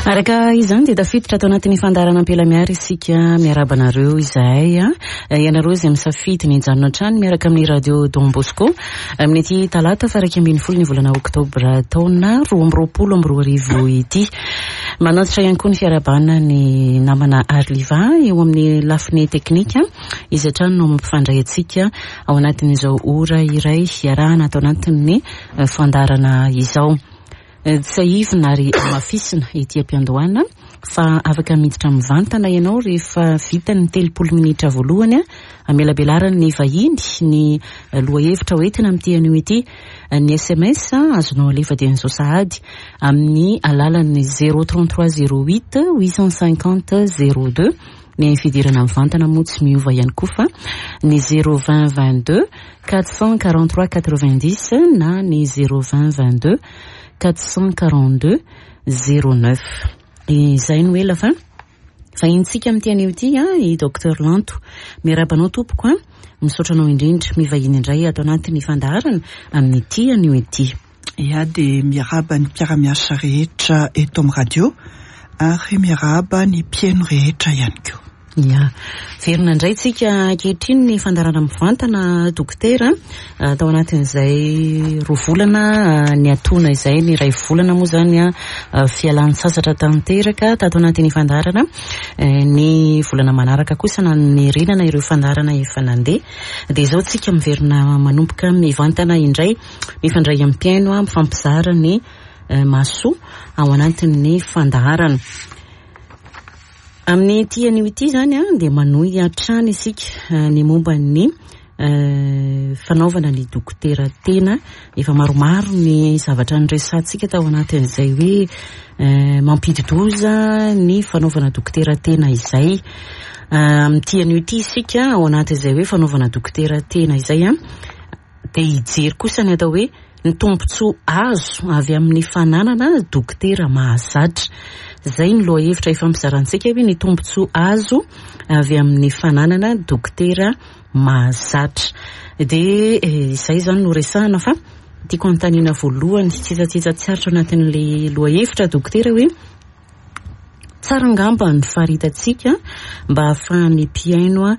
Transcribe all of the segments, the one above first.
Araka izany dia tafiditra ato anatin'ny fandaharana Ampelamiary isika. Miarahaba anareo izahay. Ianareo izay misafidy ny hijanona hatrany miaraka amin'ny Radio Don Bosco amin'ity talata faha 11 ny volana oktobra taona 2022 ity. Manantitra ihany koa ny fiarahabana ny namana Arliva eo amin'ny lafiny teknika. Izy hatrany no mampifandray antsika ao anatin'izao ora iray hiarahana ato anatin'ny fandaharana izao. Tsiahivina ary hamafisina ety am-piandohana fa afaka miditra mivantana ianao rehefa vita ny 30 minitra voalohany hamelabelaran'ny vahiny ny lohahevitra hoentina amin'ity anio ity. Ny sms azonao alefa dia izao sahady amin'ny alalan'ny 033 08 850 02. Ny fidirana mivantana moa tsy miova ihany koa fa ny 020 22 443 90 na ny 020 22 442 09. Izay no ela fa vahinintsika amin'ity anio ity i Docteur Lanto. Miarahaba anao tompoko a. Misaotra anao indrindra mivahiny indray ato anatin'ny fandaharana amin'ity anio ity. Ia dia miarahaba ny mpiara-miasa rehetra eto amin'ny radio ary miarahaba ny mpihaino rehetra ihany koa. Ia. Verina indray tsika ankehitriny ny fandaharana mivantana dokotera tao anatin'izay 2 volana niatoana izay, ny 1 volana moa izany fialan-tsasatra tanteraka tato anatin'ny fandaharana. Ny volana manaraka kosa namerenana ireo fandaharana efa nandeha. Dia izao tsika miverina manomboka mivantana indray, mifandray amin'ny mpihaino, mifampizara ny mahasoa ao anatin'ny fandaharana. Amin'ity anio ity izany dia manohy hatrany isika ny momba ny fanaovana ny dokotera tena. Efa maromaro ny zavatra niresahantsika tao anatin'izay hoe mampidi-doza ny fanaovana dokotera tena izay. Amin'ity anio ity isika ao anatin'izay hoe fanaovana dokotera tena izay dia hijery kosa ny atao hoe ny tombontsoa azo avy amin'ny fananana dokotera mahazatra. Izay ny lohahevitra ifampizarantsika hoe ny tombontsoa azo avy amin'ny fananana dokotera mahazatra. Dia izay izany no resahana fa tiako anontaniana voalohany tsitsatsitsa tsy aritra anatin'ilay lohahevitra dokotera hoe tsara angamba ny faritantsika mba hahafahan'ny mpihaino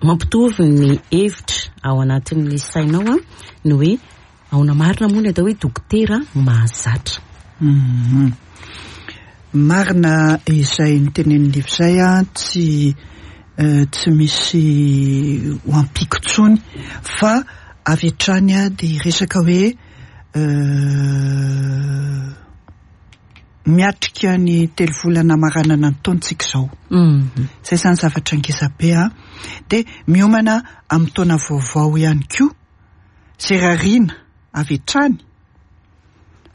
mampitovy ny hevitra ao anatin'ny sainao ny hoe ahoana marina moa ny atao hoe dokotera mahazatra. Marina izay nitenenin'i Liva izay, tsy misy ho ampiako intsony fa avy hatrany dia hiresaka hoe miatrika ny 3 volana hamaranana ny taontsika izao. Izay izany zavatra ngeza be a. Dia miomana amin'ny taona vaovao ihany koa, izay rariana avy hatrany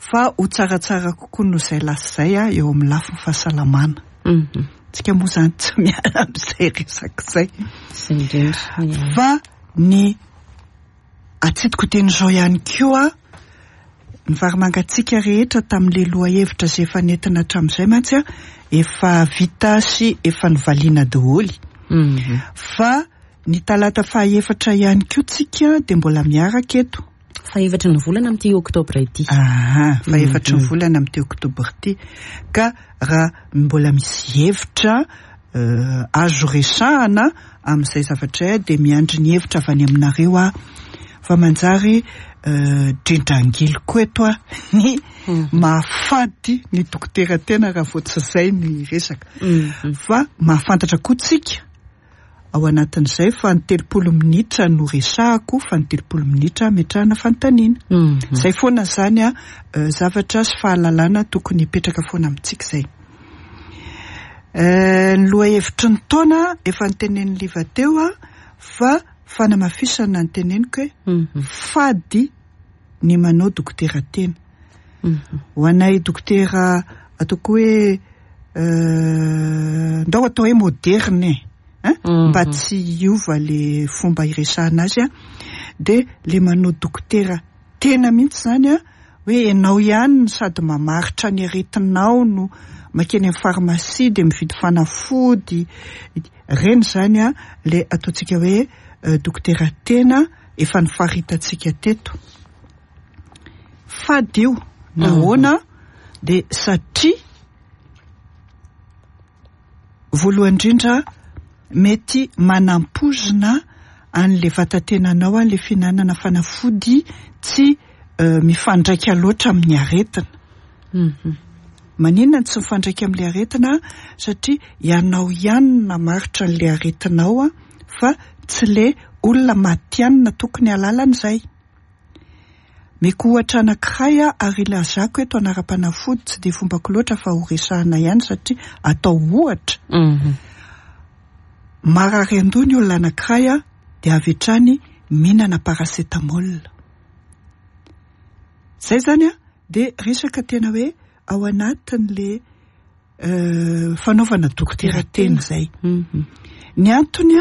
fa ho tsaratsara kokoa noho izay lasa izay a eo amin'ny lafiny fahasalamana. Tsika moa izany tsy miala amin'izay resaka izay. Izay indrindra. Fa ny atsidiko teny izao ihany koa, ny vary mangatsiaka rehetra tamin'ilay lohahevitra izay efa nentina hatramin'izay mantsy efa vita sy efa novaliana daholo. Fa ny talata fahaefatra ihany koa tsika dia mbola miaraka eto. Fahaefatry ny volana amin'ity oktobra ity. Aha, fahaefatry ny volana amin'ity oktobra ity. Ka raha mbola misy hevitra azo resahana amin'izay zavatra izay dia miandry ny hevitra avy any aminareo aho. Fa manjary drindrangilo koa eto aho ny mahafady ny dokotera tena raha vao tsy izay ny resaka. Fa mahafantatra koa tsika ao anatin'izay fa ny 30 minitra no resahako, fa ny 30 minitra ametrahana fanontaniana. Izay foana izany zavatra sy fahalalana tokony hipetraka foana amintsika izay. Ny lohahevitry ny taona efa notenenin'i Liva teo fa fanamafisana ny teneniko hoe fady ny manao dokotera tena. Ho anay dokotera ataoko hoe ndao atao hoe moderne e, mba tsy hiova le fomba iresahana azy a, dia le manao dokotera tena mihitsy izany a, hoe ianao ihany no sady mamaritra ny aretinao no makeny amin'ny farmasia dia mividy fanafody, ireny izany a le ataontsika hoe dokotera tena efa nifaritantsika teto. Fady io, nahoana? Dia satria voalohany indrindra mety manampoizina an'ilay vatatenanao ilay fihinanana fanafody tsy mifandraika loatra amin'ny aretina. Maninona no tsy mifandraika amin'ilay aretina? Satria ianao ihany no namaritra an'ilay aretinao fa tsy ilay olona matihanina tokony hahalala an'izay. Meko ohatra anankiray aho ary ilazako eto anaram-panafody tsy dia fombako loatra fa ho resahana ihany satria atao ohatra. Marary an-doha ny olona anankiray dia avy hatrany mihinana paracetamol. Izay izany dia resaka tena hoe ao anatin'ilay fanaovana dokotera tena izay. Ny antony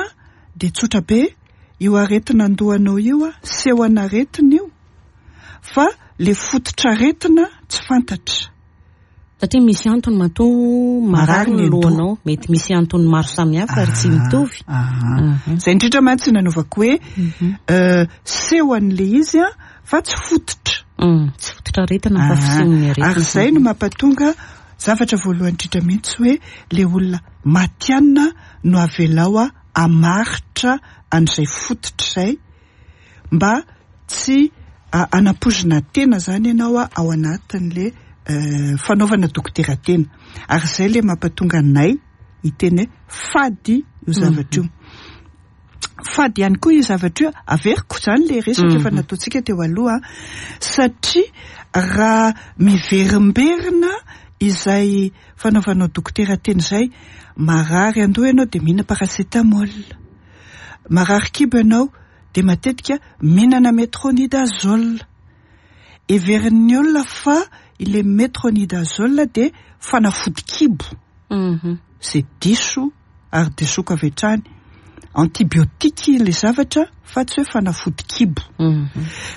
dia tsotra be, io aretina an-dohanao io, sehon'aretina io, fa ilay fototr'aretina tsy fantatra. Satria misy antony matoa marary ny lohanao, mety misy antony maro samihafa ary tsy mitovy. Izay indrindra mantsy nanaovako hoe sehon'ilay izy fa tsy fototra. Tsy fototra aretina fa fisehon'ny aretina. Ary izay no mampatonga zavatra voalohany indrindra mihitsy hoe ilay olona matihanina no avelao hamaritra an'izay fototra izay mba tsy hanampoizina tena izany ianao ao anatin'ilay fanaovana dokotera tena. Ary izay ilay mampatonga anay hiteny hoe fady io zavatra io. Fady ihany koa io zavatra io, averiko izany ilay resaka efa nataontsika teo aloha, satria raha miverimberina izay fanaovanao dokotera tena izay, marary an-doha ianao dia mihinana paracetamol, marary kibo ianao dia matetika mihinana metronidazole. Heverin'ny olona fa ilay metronidazole dia fanafody kibo, izay diso ary disoako avy hatrany. Antibiotique ilay zavatra fa tsy hoe fanafody kibo.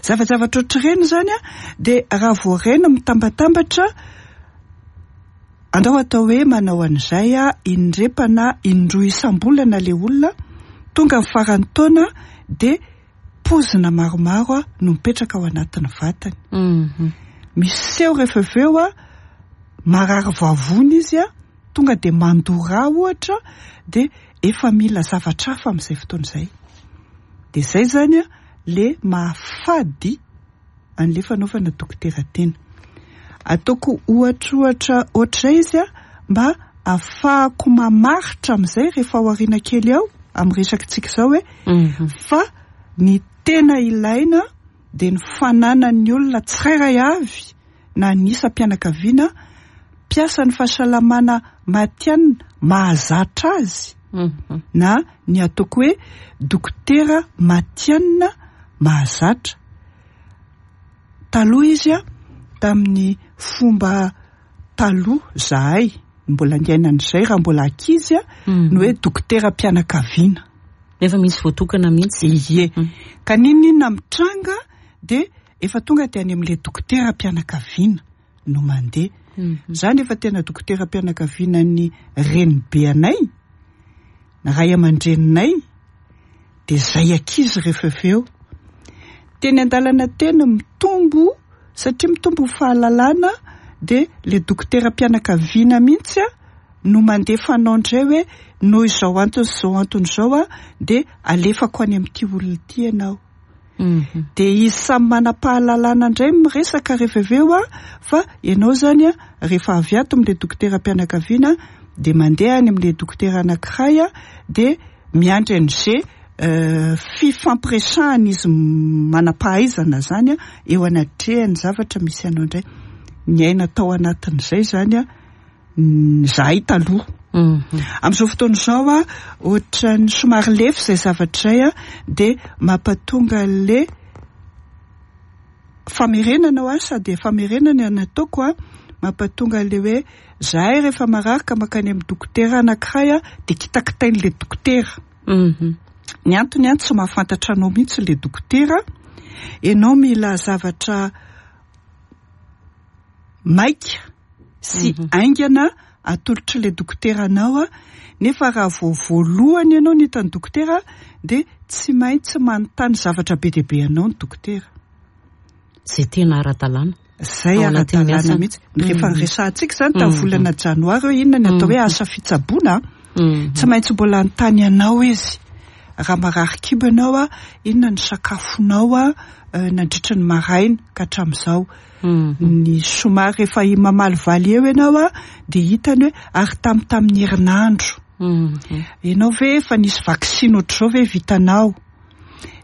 Zavajavatra ohatr'ireny izany an, dia raha vao ireny mitambatambatra, andao atao hoe manao an'izay indrepana indroa isam-bolana ilay olona, tonga ny faran'ny taona dia pozina maromaro no mipetraka ao anatin'ny vatany. Miseho rehefa avy eo marary vavony izy, tonga dia mandoa rà ohatra, dia efa mila zavatra hafa amin'izay fotoana izay. Dia izay izany ilay mahafady an'ilay fanaovana dokotera tena. Ataoko ohatrohatra ohatr'izay izy mba ahafahako mamaritra amin'izay rehefa ao aoriana kely ao amin'ny resakitsika izao hoe fa ny tena ilaina dia ny fananan'ny olona tsirairay avy na ny isam-pianakaviana mpiasan'ny fahasalamana matihanina mahazatra azy na ny ataoko hoe dokotera matihanina mahazatra. Taloha izy tamin'ny fomba taloha zahay mbola niaina an'izay raha mbola ankizy ny hoe dokoteram-pianakaviana. Nefa misy voatokana mihitsy. Ie. Ka n'inon'inona mitranga dia efa tonga dia any amin'ilay dokoteram-pianakaviana no mandeha. Izany efa tena dokoteram-pianakaviana ny renibe anay, ny ray aman-dreninay, dia izay ankizy rehefa avy eo. Teny an-dalana teny mitombo, satria mitombo ny fahalalana, dia ilay dokoteram-pianakaviana mihitsy no mandefa anao indray hoe noho izao antony sy izao antony izao dia alefako any amin'ity olona ity ianao. Dia izy samy manam-pahalalana indray miresaka rehefa avy eo fa ianao izany rehefa avy ato amin'ilay dokoteram-pianakaviana dia mandeha any amin'ilay dokotera anankiray dia miandry an'izay fifampiresahan'izy manam-pahaizana izany eo anatrehan'ny zavatra misy anao indray. Niaina tao anatin'izay izany izahay taloha. Amin'izao fotoana izao ohatran'ny somary lefy izay zavatra izay dia mampatonga an'ilay famerenana ho ahy sady famerenana no ataoko mampatonga an'ilay hoe izahay rehefa marary ka mankany amin'ny dokotera anankiray dia kitakitain'ilay dokotera. Ny antony tsy mahafantatra anao mihitsy ilay dokotera, ianao mila zavatra maika sy haingana atolotr'ilay dokotera anao, nefa raha vao voalohany ianao no hitan'ny dokotera dia tsy maintsy manontany zavatra be dia be anao ny dokotera. Izay tena ara-dalàna. Zay ara-dalàna mihitsy. Rehefa niresahantsika izany tamin'ny volana janoary hoe inona ny atao hoe asa fitsaboana, tsy maintsy mbola hanontany anao izy. Raha marary kibo ianao, inona ny sakafonao nandritra ny maraina ka hatramin'izao. Ny somary rehefa mamalivaly eo ianao dia hitany hoe ary tamin'ny herinandro. Ianao ve efa nisy vaksiny ohatr'izao ve vitanao?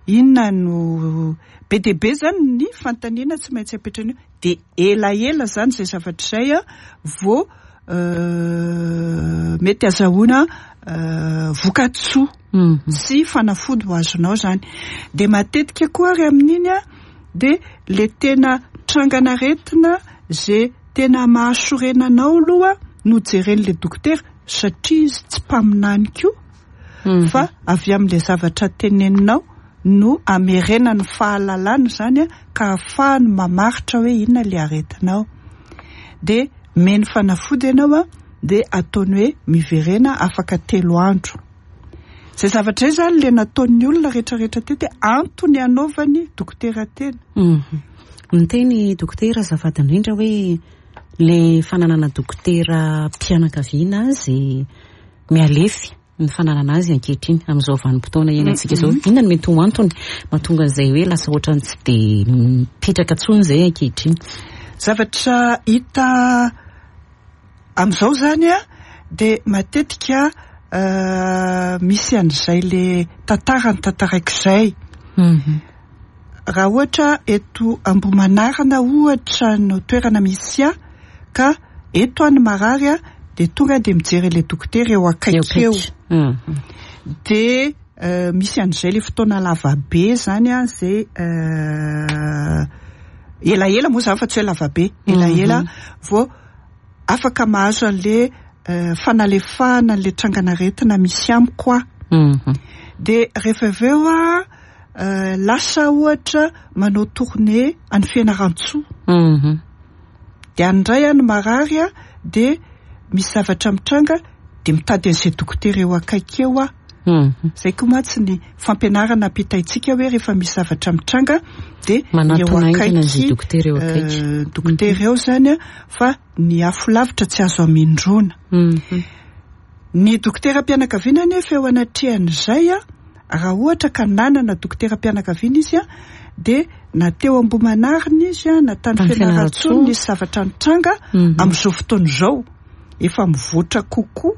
Inona no be dia be izany ny fanontaniana tsy maintsy apetrany eo. Dia elaela izany izay zavatra izay vao mety azahoana vokatsoa sy fanafody ho azonao izany. Dia matetika koa ary amin'iny dia ilay tena trangan'aretina izay tena mahasorena anao aloha no jeren'ilay dokotera satria izy tsy mpaminany koa fa avy amin'ilay zavatra teneninao no amerenany fahalalana izany ka ahafahany mamaritra hoe inona ilay aretinao. Dia meny fanafody ianao dia ataony hoe miverena afaka 3 andro. Izay zavatra izay izany ilay nataon'ny olona rehetrarehetra teto hoe antony hanaovany dokotera tena. Niteny dokotera azafady indrindra hoe le fananana dokotera mpianakaviana azy mialefy ny fananana azy ankehitriny amin'izao vanim-potoana iainantsika izao. Inona no mety ho antony mahatonga an'izay hoe lasa ohatran'ny tsy dia mipetraka intsony izay ankehitriny? Zavatra hita amin'izao izany dia matetika misy an'izay le tantara notantaraiko izay. Raha ohatra eto Ambohimanarina ohatra no toerana misy ahy ka eto aho no marary dia tonga dia mijery ilay dokotera eo akaiky eo. Dia misy an'izay le fotoana lava be izany izay elaela moa izany fa tsy hoe lava be, elaela vao afaka mahazo an'le fanalefahana an'le trangan'aretina misy amiko aho. Dia rehefa avy eo aho lasa ohatra manao tournée any Fianarantsoa. Dia any indray aho no marary dia misy zavatra mitranga dia mitady an'izay dokotera eo akaiky eo aho. Izay koa mantsy ny fampianarana ampitaintsika hoe rehefa misy zavatra mitranga dia eo Manatona haingana izay akaiky, dokotera eo akaiky. dokotera eo izany fa ny afo lavitra tsy azo amindroana. Ny dokoteram-pianakaviana anefa eo anatrehan'izay, raha ohatra ka nanana dokoteram-pianakaviana izy dia na teo Ambohimanarina izy na tany Tany Fianarantsoa Fianarantsoa. nisy zavatra nitranga amin'izao fotoana izao efa mivoatra kokoa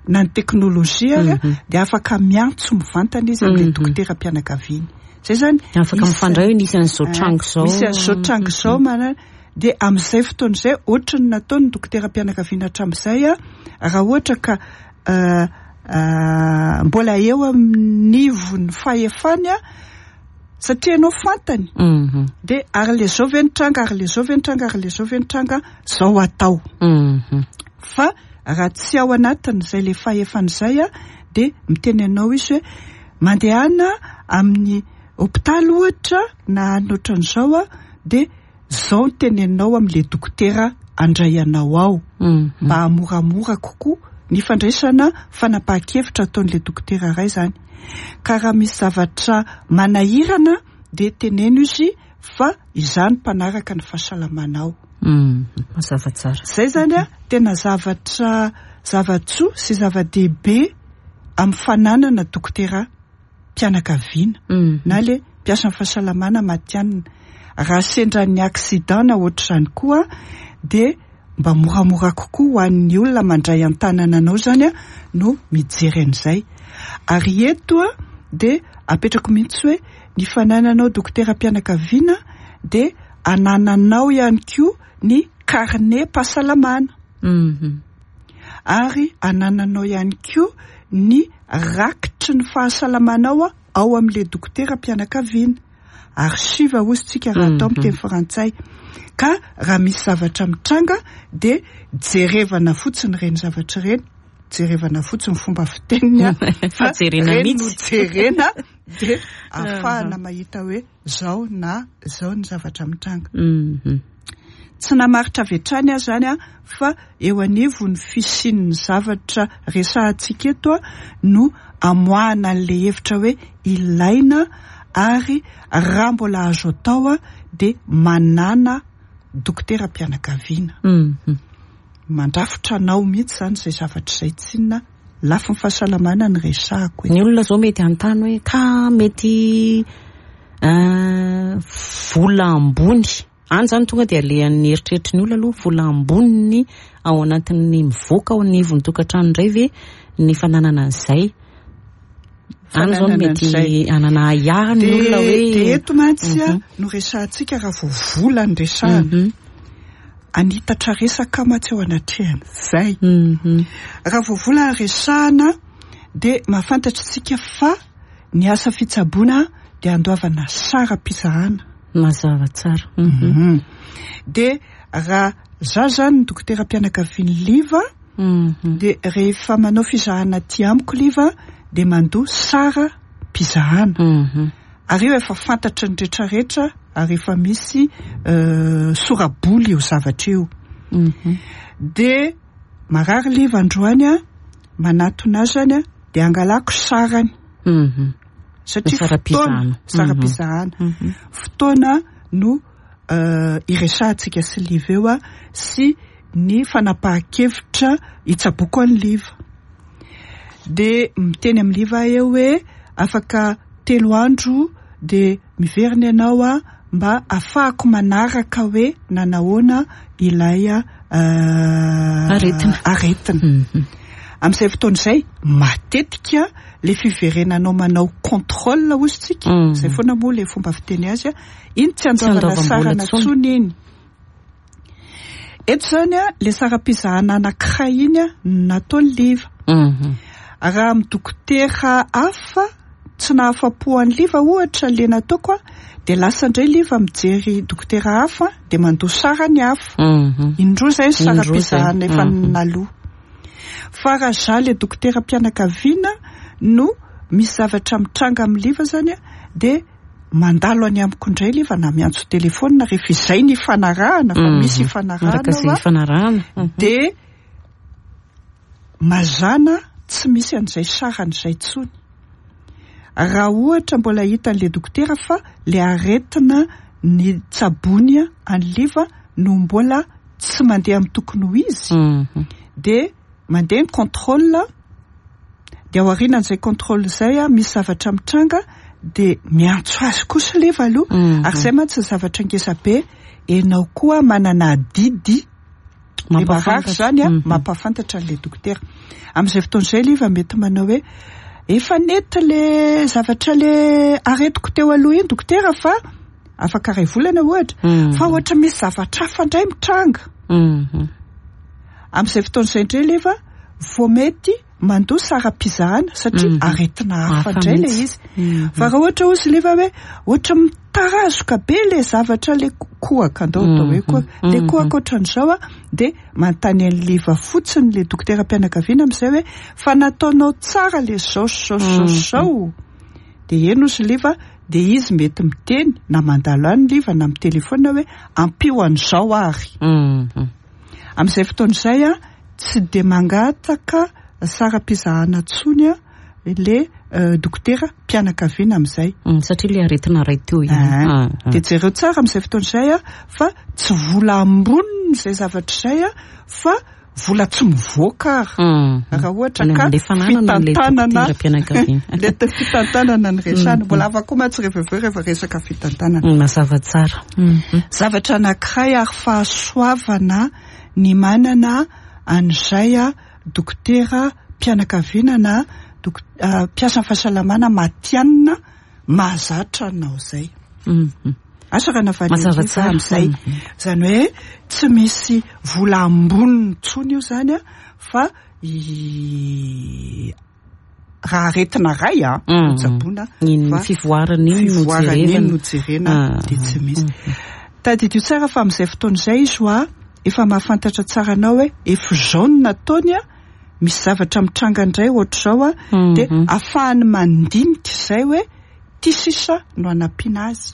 na ny teknolojia ary dia afaka miantso mivantana izy amin'ilay dokoteram-pianakaviana. Izay izany Afaka misy mifandray hoe nisy an'izao tranga izao. Misy an'izao tranga izao manana. Dia amin'izay fotoana izay ohatry ny nataon'ny dokoteram-pianakaviana hatramin'izay, raha ohatra ka mbola eo amin'nivon'ny fahefany satria ianao fantany dia ary le zao ve ny tranga, ary le zao ve ny tranga, ary le zao ve ny tranga, zao atao. Fa raha tsy ao anatin'izay le fahefana izay dia miteny anao izy hoe mandehana amin'ny hopitaly ohatra na any ohatran'izao dia zao ny teneninao amin'ilay dokotera handray anao ao mba hamoramora kokoa ny fandraisana fanapahan-kevitra ataon'ilay dokotera iray izany. Ka raha misy zavatra manahirana dia teneno izy fa izaho no mpanaraka ny fahasalamanao. Mazava tsara. Izay izany tena zavatra zava-tsoa sy zava-dehibe amin'ny fananana dokotera mpianakaviana na le mpiasan'ny fahasalamana matihanina. Raha sendra ny accident na ohatr'izany koa dia mba moramora kokoa ho an'ny olona mandray an-tanana anao izany no mijery an'izay. Ary eto dia apetrako mihitsy hoe ny fanananao dokotera mpianakaviana dia anananao ihany koa ny carnet pahasalamana. Ary anananao ihany koa ny rakitry ny fahasalamanao ao amin'ilay dokotera mpianakaviana. Archive hozy tsika raha atao amin'ny teny frantsay. Ka raha misy zavatra mitranga dia jerevana fotsiny ireny zavatra ireny, jerevana fotsiny fomba fiteniny fa Jerena ireny no mihitsy. jerena dia ahafahana mahita hoe zao na zao ny zavatra mitranga. Tsy namaritra avy hatrany aho izany fa eo anivon'ny fisian'ny zavatra resahantsika eto no amoahana an'ilay hevitra hoe ilaina ary raha mbola azo atao dia manana dokoteram-pianakaviana. Mandrafitra anao mihitsy izany izay zavatra izay tsinona lafiny fahasalamana no resahako eto. Ny olona izao mety hanontany hoe ka mety vola ambony, any izany tonga dia alehan'ny eritreritry ny olona aloha, vola amboniny ao anatin'ny mivoaka ao anivon'ny tokantrano indray ve ny fananana an'izay? Any izao no mety hanana ahiahy ny olona hoe. Dia eto mantsy no resahantsika raha vao vola no resahana. Hanitatra resaka mantsy eo anatrehan'izay. Raha vao vola no resahana dia mahafantatra isika fa ny asa fitsaboana dia andoavana saram-pizahana. Mazava tsara. Dia raha za zany ny dokoteram-pianakavian'i Liva, dia rehefa manao fizahana aty amiko Liva dia mandoa saram-pizahana. Ary io efa fantatry ny retraretra ary efa misy sora-bola io zavatra io. Dia marary Liva androany an, manatona azy zany an, dia angalako sarany. Satria fotoana, saram-pizahana. Fotoana no iresahantsika sy Liva eo an, sy ny fanapahan-kevitra hitsaboako an'i Liva. Dia miteny amin'i Liva aho eo hoe afaka 3 andro dia miverina ianao an, mba ahafahako manaraka hoe nanahoana ilay aretina. Aretina. Amin'izay fotoana izay, matetika le fiverenanao manao contrôle hozy tsika, izay foana moa le fomba fiteny azy, iny tsy andoavana sarana intsony iny. Eto izany le saram-pizahana anankiray iny no nataon'i Liva. Raha amin'ny dokotera hafa tsy nahafa-po an'i Liva ohatra le nataoko, dia lasa indray Liva mijery dokotera hafa dia mandoa sarany hafa. Indroa izay ny saram-pizahana efa naloa. Fa raha za le dokoteram-pianakaviana no misy zavatra mitranga amin'i Liva izany dia mandalo any amiko indray Liva na miantso telefaonina rehefa izay ny ifanarahana fa misy ifanarahana Araka izay ifanarahana. Dia mazàna tsy misy an'izay sarany izay intsony. Raha ohatra mbola hitan'ilay dokotera fa le aretina ny tsabony an'i Liva no mbola tsy mandeha amin'ny tokony ho izy, dia mandeha ny contrôle, dia ao aorianan'izay contrôle izay misy zavatra mitranga dia miantso azy kosa Liva aloha. Ary izay mantsy ny zavatra ngeza be, ianao koa manana adidy Mampahafantatra. Izany a, mampahafantatra an'ilay dokotera. Amin'izay fotoana izay Liva mety manao hoe efa nety le zavatra le aretiko teo aloha iny dokotera fa afaka 1 volana ohatra, fa ohatra misy zavatra hafa indray mitranga. Amin'izay fotoana izay indray Liva vao mety mandoa saram-pizahana satria aretina hafa indray le izy. Fa raha ohatra hozy Liva hoe ohatra mitarazoka be le zavatra le kohaka, andao atao hoe kohaka, le kohaka ohatran'izao a, dia manontany an'i Liva fotsiny le dokoteram-pianakaviana amin'izay hoe fa nataonao tsara le zao sy zao sy zao sy zao. Dia eny hozy Liva, dia izy mety miteny na mandalo any Liva na mitelefona hoe ampio an'izao ary. Amin'izay fotoana izay a, tsy dia mangataka saram-pizahana intsony a le dokotera mpianakaviana amin'izay. Satria le aretina iray teo ihany. Dia jereo tsara amin'izay fotoana izay a, fa tsy vola amboniny izay zavatra izay a, fa vola tsy mivoaka ary. Raha ohatra ka fitantanana, le fitantanana ny resahana. Mbola hafa koa mantsy rehefa avy eo rehefa resaka fitantanana. Mazava tsara. Zavatra anankiray ary fahasoavana ny manana an'izay a dokotera mpianakaviana na mpiasan'ny fahasalamana matihanina mahazatra anao izay. Asa raha navaly Mazava an'izay tsara. amin'izay. Izany hoe tsy misy vola amboniny intsony io izany a, fa raha aretina iray a, no tsaboina, Iny fa fivoarana iny no fivoarana iny jerena. no jerena, dia tsy misy. Tadidio tsara fa amin'izay fotoana izay izy hoa efa mahafantatra tsara anao hoe efa izao no nataony a, misy zavatra mitranga indray ohatr'izao a, dia ahafahany mandinika izay hoe ty sisa no hanampiana azy.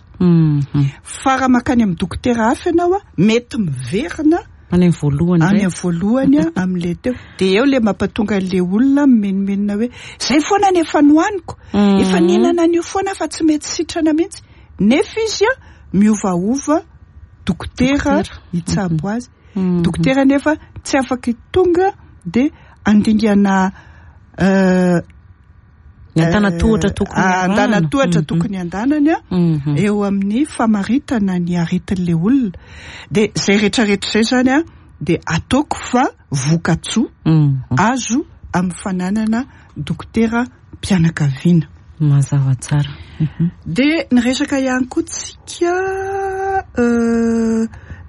Fa raha mankany amin'ny dokotera hafa ianao a, mety miverina Any amin'ny voalohany any indray. amin'ny voalohany a, amin'ilay teo. Dia eo ilay mampatonga an'ilay olona mimenomenona hoe izay foana ny efa nohaniko, efa nihinana an'io foana fa tsy mety sitrana mihitsy. Nefa izy a, miovaova. dokotera hitsabo azy. Dokotera nefa tsy afaka tonga dia andingana Ny antanatohatra tokony antanatohatra tokony andanany eo amin'ny famaritana ny aretin'ilay olona. Dia izay rehetrarehetra izay zany a dia ataoko fa vokatsoa azo amin'ny fananana dokotera mpianakaviana. Mazava tsara. Dia niresaka ihany koa tsika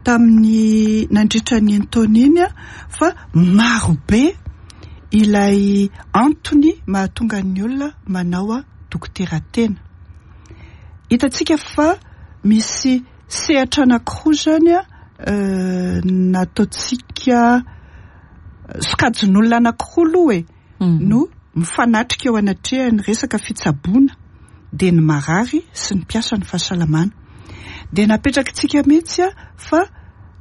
tamin'ny nandritra ny taona iny fa maro be ilay antony mahatonga ny olona manao dokotera tena. Hitantsika fa misy sehatra anankiroa zany nataontsika sokajin'olona anankiroa aloha e no mifanatrika eo anatrehan'ny resaka fitsaboana, dia ny marary sy ny mpiasa ny fahasalamana. Dia napetrakitsika mihitsy fa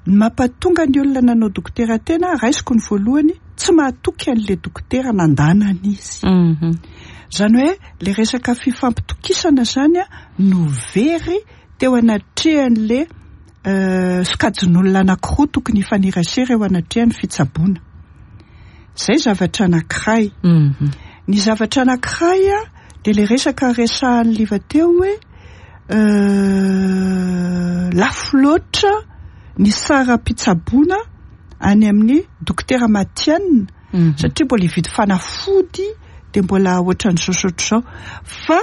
ny mampatonga ny olona nanao dokotera tena, raisiko ny voalohany, tsy mahatoky an'ilay dokotera nandanana izy. Izany hoe le resaka fifampitokisana zany no very teo anatrehan'le sokajin'olona anankiroa tokony hifanerasera eo anatrehan'ny fitsaboana. Izay zavatra anankiray. Ny zavatra anankiray dia le resaka resahan'ny Liva teo hoe lafo loatra ny saram-pitsaboana any amin'ny dokotera matihanina satria mbola hividy fanafody dia mbola ohatran'izao sy ohatr'izao. Fa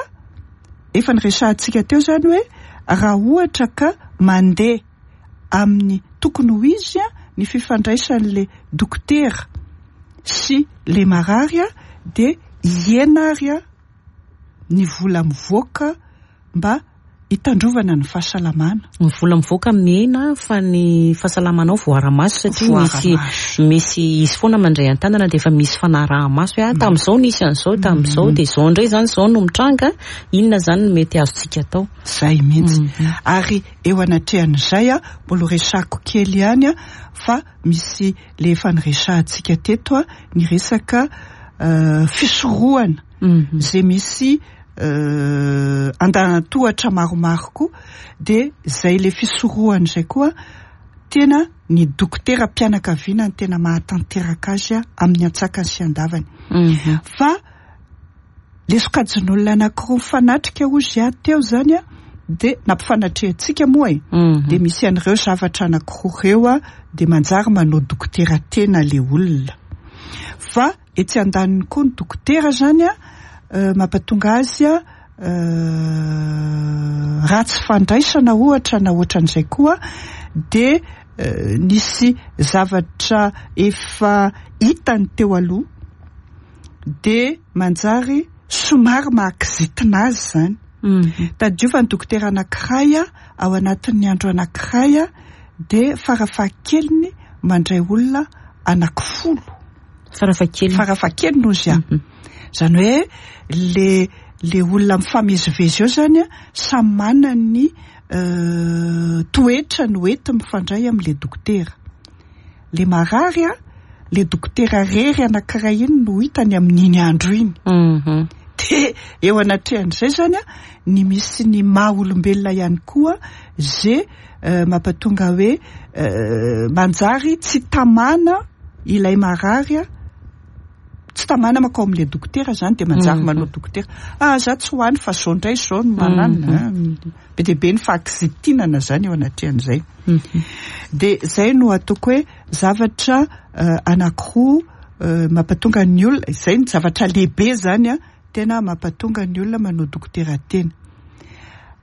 efa niresahantsika teo zany hoe raha ohatra ka mandeha amin'ny tokony ho izy ny fifandraisan'le dokotera sy le marary dia hihena ary ny vola mivoaka mba hitandrovana ny fahasalamana. Ny vola mivoaka mihena fa ny fahasalamanao voara-maso satria misy misy izy foana mandray an-tanana dia efa misy fanaraha-maso hoe tamin'izao nisy an'izao, tamin'izao dia izao indray zany izao no mitranga, inona zany no mety azontsika atao. Zay mihitsy. Ary eo anatrehan'izay mbola ho resako kely ihany fa misy le efa niresahantsika teto ny resaka fisorohana izay misy andanatohatra maromaro koa, dia izay le fisorohana izay koa tena ny dokotera mpianakaviana no tena mahatanteraka azy amin'ny antsakany sy andavany. Fa le sokajin'olona anankiroa mifanatrika hozy aho teo zany dia nampifanatrehantsika moa e. Dia misy an'ireo zavatra anankiroa ireo dia manjary manao dokotera tena le olona. Fa etsy andaniny koa ny dokotera zany mampatonga azy ratsy fandraisana ohatra na ohatran'izay koa dia nisy zavatra efa hitany teo aloha dia manjary somary mahakizitina azy zany. Tadidio fa ny dokotera anankiray ao anatin'ny andro anankiray dia farafahakeliny mandray olona anankifolo. Farafahakeliny. Farafahakeliny hozy aho. Izany hoe le olona mifamezivezy eo zany samy manana ny toetra no enti mifandray amin'le dokotera. Le marary le dokotera rery anankiray iny no hitany amin'iny andro iny. Dia eo anatrehan'izay zany ny misy ny maha olombelona ihany koa ze mampatonga hoe manjary tsy tamana ilay marary, tsy tamana makao amin'ilay dokotera zany dia manjary manao dokotera. Za tsy ho any fa zao indray zao no manana. Be dia be ny fahakizitinana zany eo anatrehan'izay. Dia zay no ataoko hoe zavatra anankiroa mampatonga ny olona, izay ny zavatra lehibe zany tena mampatonga ny olona manao dokotera tena.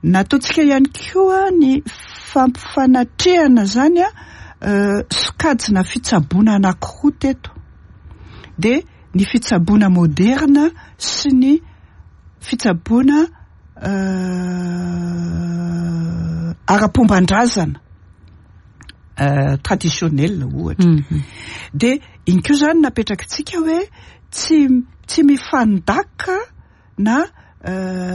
Nataontsika ihany koa ny fampifanatrehana zany sokajina fitsaboana anankiroa teto. Dia ny fitsaboana moderna sy ny fitsaboana ara-pomban-drazana traditionnel ohatra. Dia iny koa zany napetrakitsika hoe tsy mifandaka na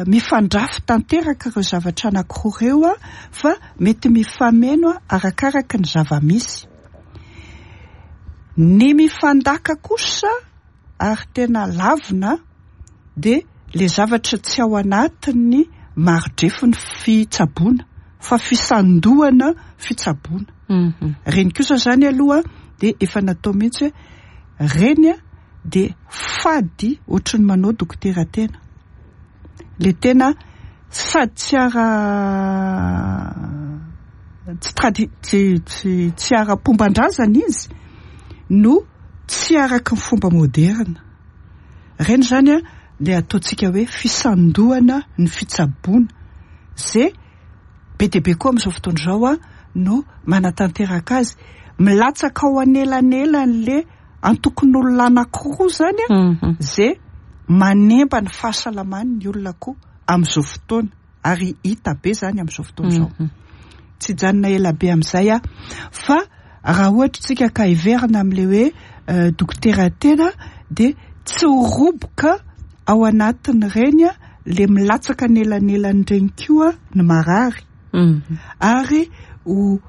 mifandrafy tanteraka ireo zavatra anankiroa ireo fa mety mifameno arakaraka ny zava-misy. Ny mifandaka kosa ary tena lavina dia le zavatra tsy ao anatin'ny maridrefin'ny fitsaboana. fa fisandohana fitsaboana. Ireny kosa izany aloha dia efa natao mihitsy hoe ireny dia fady ohatry ny manao dokotera tena. Le tena sady tsy ara tsy tradi tsy tsy tsy ara-pomban-drazana izy no tsy araky ny fomba moderina. Ireny izany an le ataontsika hoe fisandohana ny fitsaboana ze be dia be koa amin'izao fotoana izao an no manatanteraka azy. Milatsaka ao anelanelan'le antokon'olona anankiroa izany an ze manemba ny fahasalaman'ny olona koa amin'izao fotoana ary hita be izany amin'izao fotoana izao. Tsy hijanona ela be amin'izay aho fa raha ohatra isika ka hiverina amin'ilay hoe dokotera tena dia tsy ho roboka ao anatin'ireny le milatsaka anelanelan'ireny koa ny marary ary ho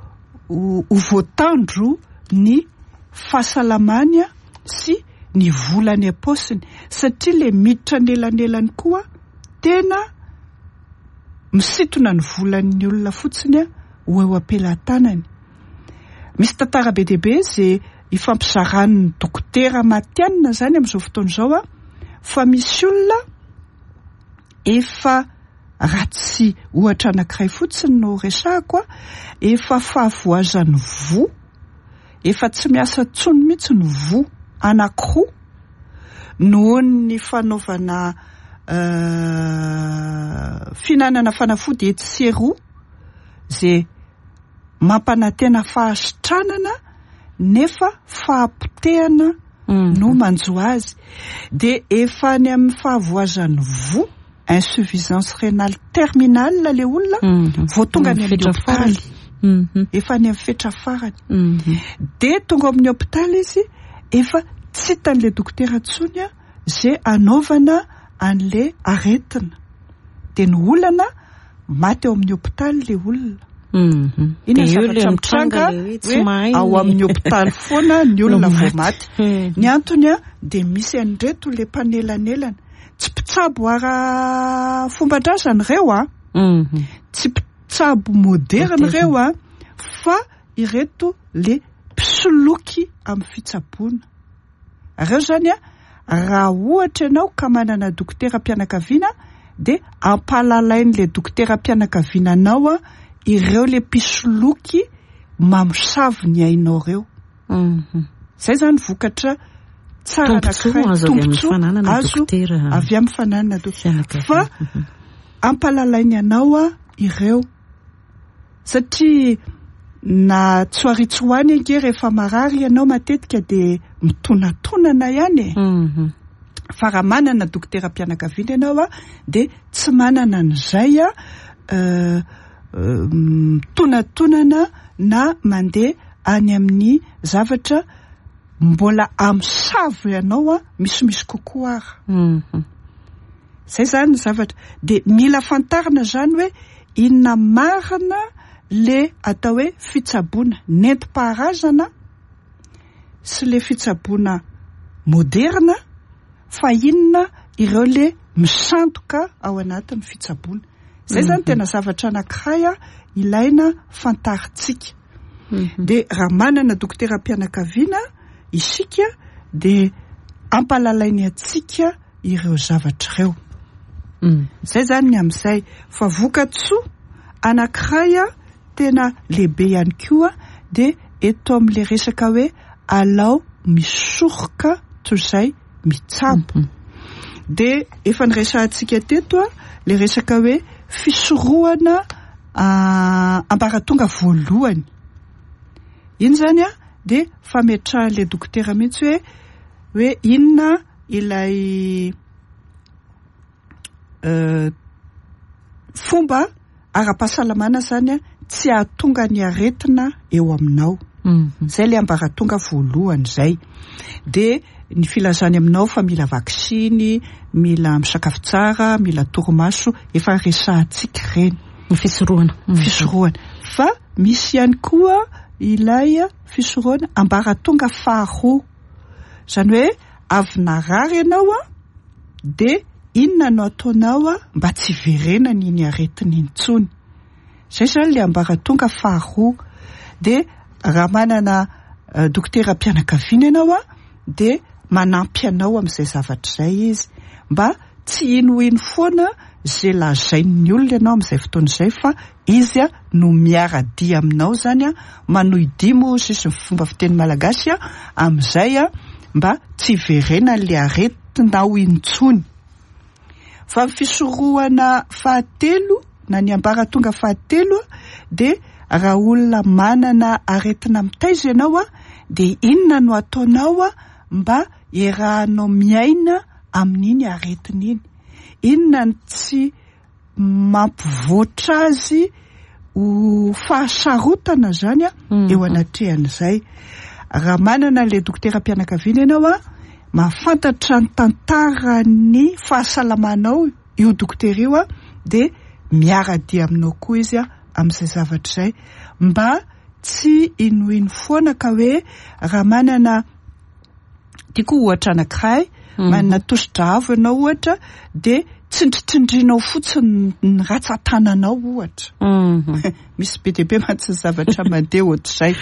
ho voatandro ny fahasalamany sy ny vola any am-paosiny satria le miditra anelanelany koa tena misintona ny volan'ny olona fotsiny ho eo am-pelatanany. Misy tantara be dia be izay ifampizaran'ny dokotera matihanina izany amin'izao fotoana izao fa misy olona efa raha tsy ohatra anankiray fotsiny no resahako, efa fahavoazan'ny voa, efa tsy miasa intsony mihitsy ny voa anankiroa noho ny fanaovana fihinanana fanafody etsy sy eroa izay mampanantena fahasitranana nefa fahapotehana no manjo azy. Dia efa any amin'ny fahavoazan'ny voa, insuffisance rénale terminale ilay olona vao tonga any amin'ny hopitaly. Efa any amin'ny fetra farany. Dia tonga ao amin'ny hopitaly izy, efa tsy hitan'ilay dokotera intsony izay hanaovana an'ilay aretina. Dia ny olana, maty ao amin'ny hopitaly ilay olona. Inona ny zavatra mitranga hoe ao amin'ny hopitaly foana ny olona vao maty. Ny antony dia misy an'ireto ilay mpanelanelana. Tsy mpitsabo ara-fomban-drazana ireo an. Tsy mpitsabo moderina ireo an, fa ireto ilay mpisoloky amin'ny fitsaboana. Ireo izany an, raha ohatra ianao ka manana dokoteram-pianakaviana dia ampahalalain'ilay dokoteram-pianakaviana anao ireo ilay mpisoloky mamosavy ny ainao ireo. Izay izany vokatra tsara anankiray, tombontsoa azo avy amin'ny fananana dokotera. Fa ampahalalainy anao ireo. Satria na tsy ho ary tsy ho any ange rehefa marary ianao matetika dia mitonatonana ihany e. Fa raha manana dokoteram-pianakaviana ianao dia tsy manana an'izay mitonatonana na mandeha any amin'ny zavatra mbola amosavo ianao misimisy kokoa ara. Zay zany ny zavatra. Dia mila fantarina zany hoe inona marina le atao hoe fitsaboana nentim-paharazana sy le fitsaboana moderina fa inona ireo le misandoka ao anatin'ny fitsaboana. Zay zany tena zavatra anankiray ilaina fantarintsika. Dia raha manana dokoteram-pianakaviana isika dia ampalalainy antsika ireo zavatra ireo. Izay izany ny amin'izay. Fa vokatsoa anankiray tena lehibe ihany koa dia eto amin'ilay resaka hoe alao misoroka toy izay mitsabo. Dia efa niresahantsika teto ilay resaka hoe fisorohana ambaratonga voalohany. Iny izany dia fametrahan'ilay dokotera mihitsy hoe hoe inona ilay fomba ara-pahasalamana izany tsy hahatonga ny aretina eo aminao. Izay ilay ambaratonga voalohany izay. Dia ny filazany aminao fa mila vaksiny, mila misakafo tsara, mila torimaso, efa resahantsika ireny. Ny fisorohana. Fisorohana. Fa misy ihany koa ilay fisorohana ambaratonga faharoa. Izany hoe avy narary ianao an, dia inona no ataonao mba tsy hiverenany iny aretina iny intsony. Zay zany le ambaratonga faharoa. Dia raha manana dokoteram-pianakaviana ianao an, dia manampy anao amin'izay zavatra izay izy mba tsy hinohino foana izay lazain'ny olona ianao amin'izay fotoana izay fa izy no miara-dia aminao izany, manohy dia moa hoy ny fomba fiteny malagasy amin'izay mba tsy hiverenan'ilay aretinao intsony. Fa ny fisorohana fahatelo na ny ambaratonga fahatelo dia raha olona manana aretina mitaiza ianao dia inona no ataonao mba hiarahanao miaina amin'iny aretina iny? Inona no tsy mampivoatra azy ho fahasarotana izany eo anatrehan'izay? Raha manana an'ilay dokoteram-pianakaviana ianao, mahafantatra ny tantaran'ny fahasalamanao io dokotera io dia miara-dia aminao koa izy amin'izay zavatra izay mba tsy hinohino foana ka hoe raha manana tiako ohatra anankiray manana tosidra avo ianao ohatra dia tsindritsindrinao fotsiny ny ratsan-tananao ohatra. Misy be dia be mantsy ny zavatra mandeha ohatr'izay.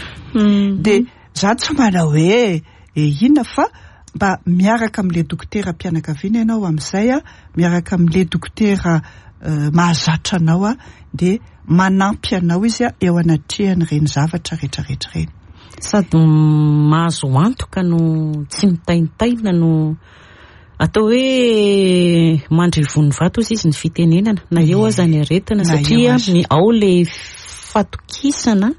Dia za tsy manao hoe inona fa mba miaraka amin'ilay dokoteram-pianakaviana ianao amin'izay, miaraka amin'ilay dokotera mahazatra anao dia manampy anao izy eo anatrehan'ireny zavatra rehetrarehetra ireny. Sady mahazo antoka no tsy mitaintaina no atao hoe mandry ivon'ny vato ozy izy ny fitenenana na eo aza ny aretina satria ny ao le fatokisana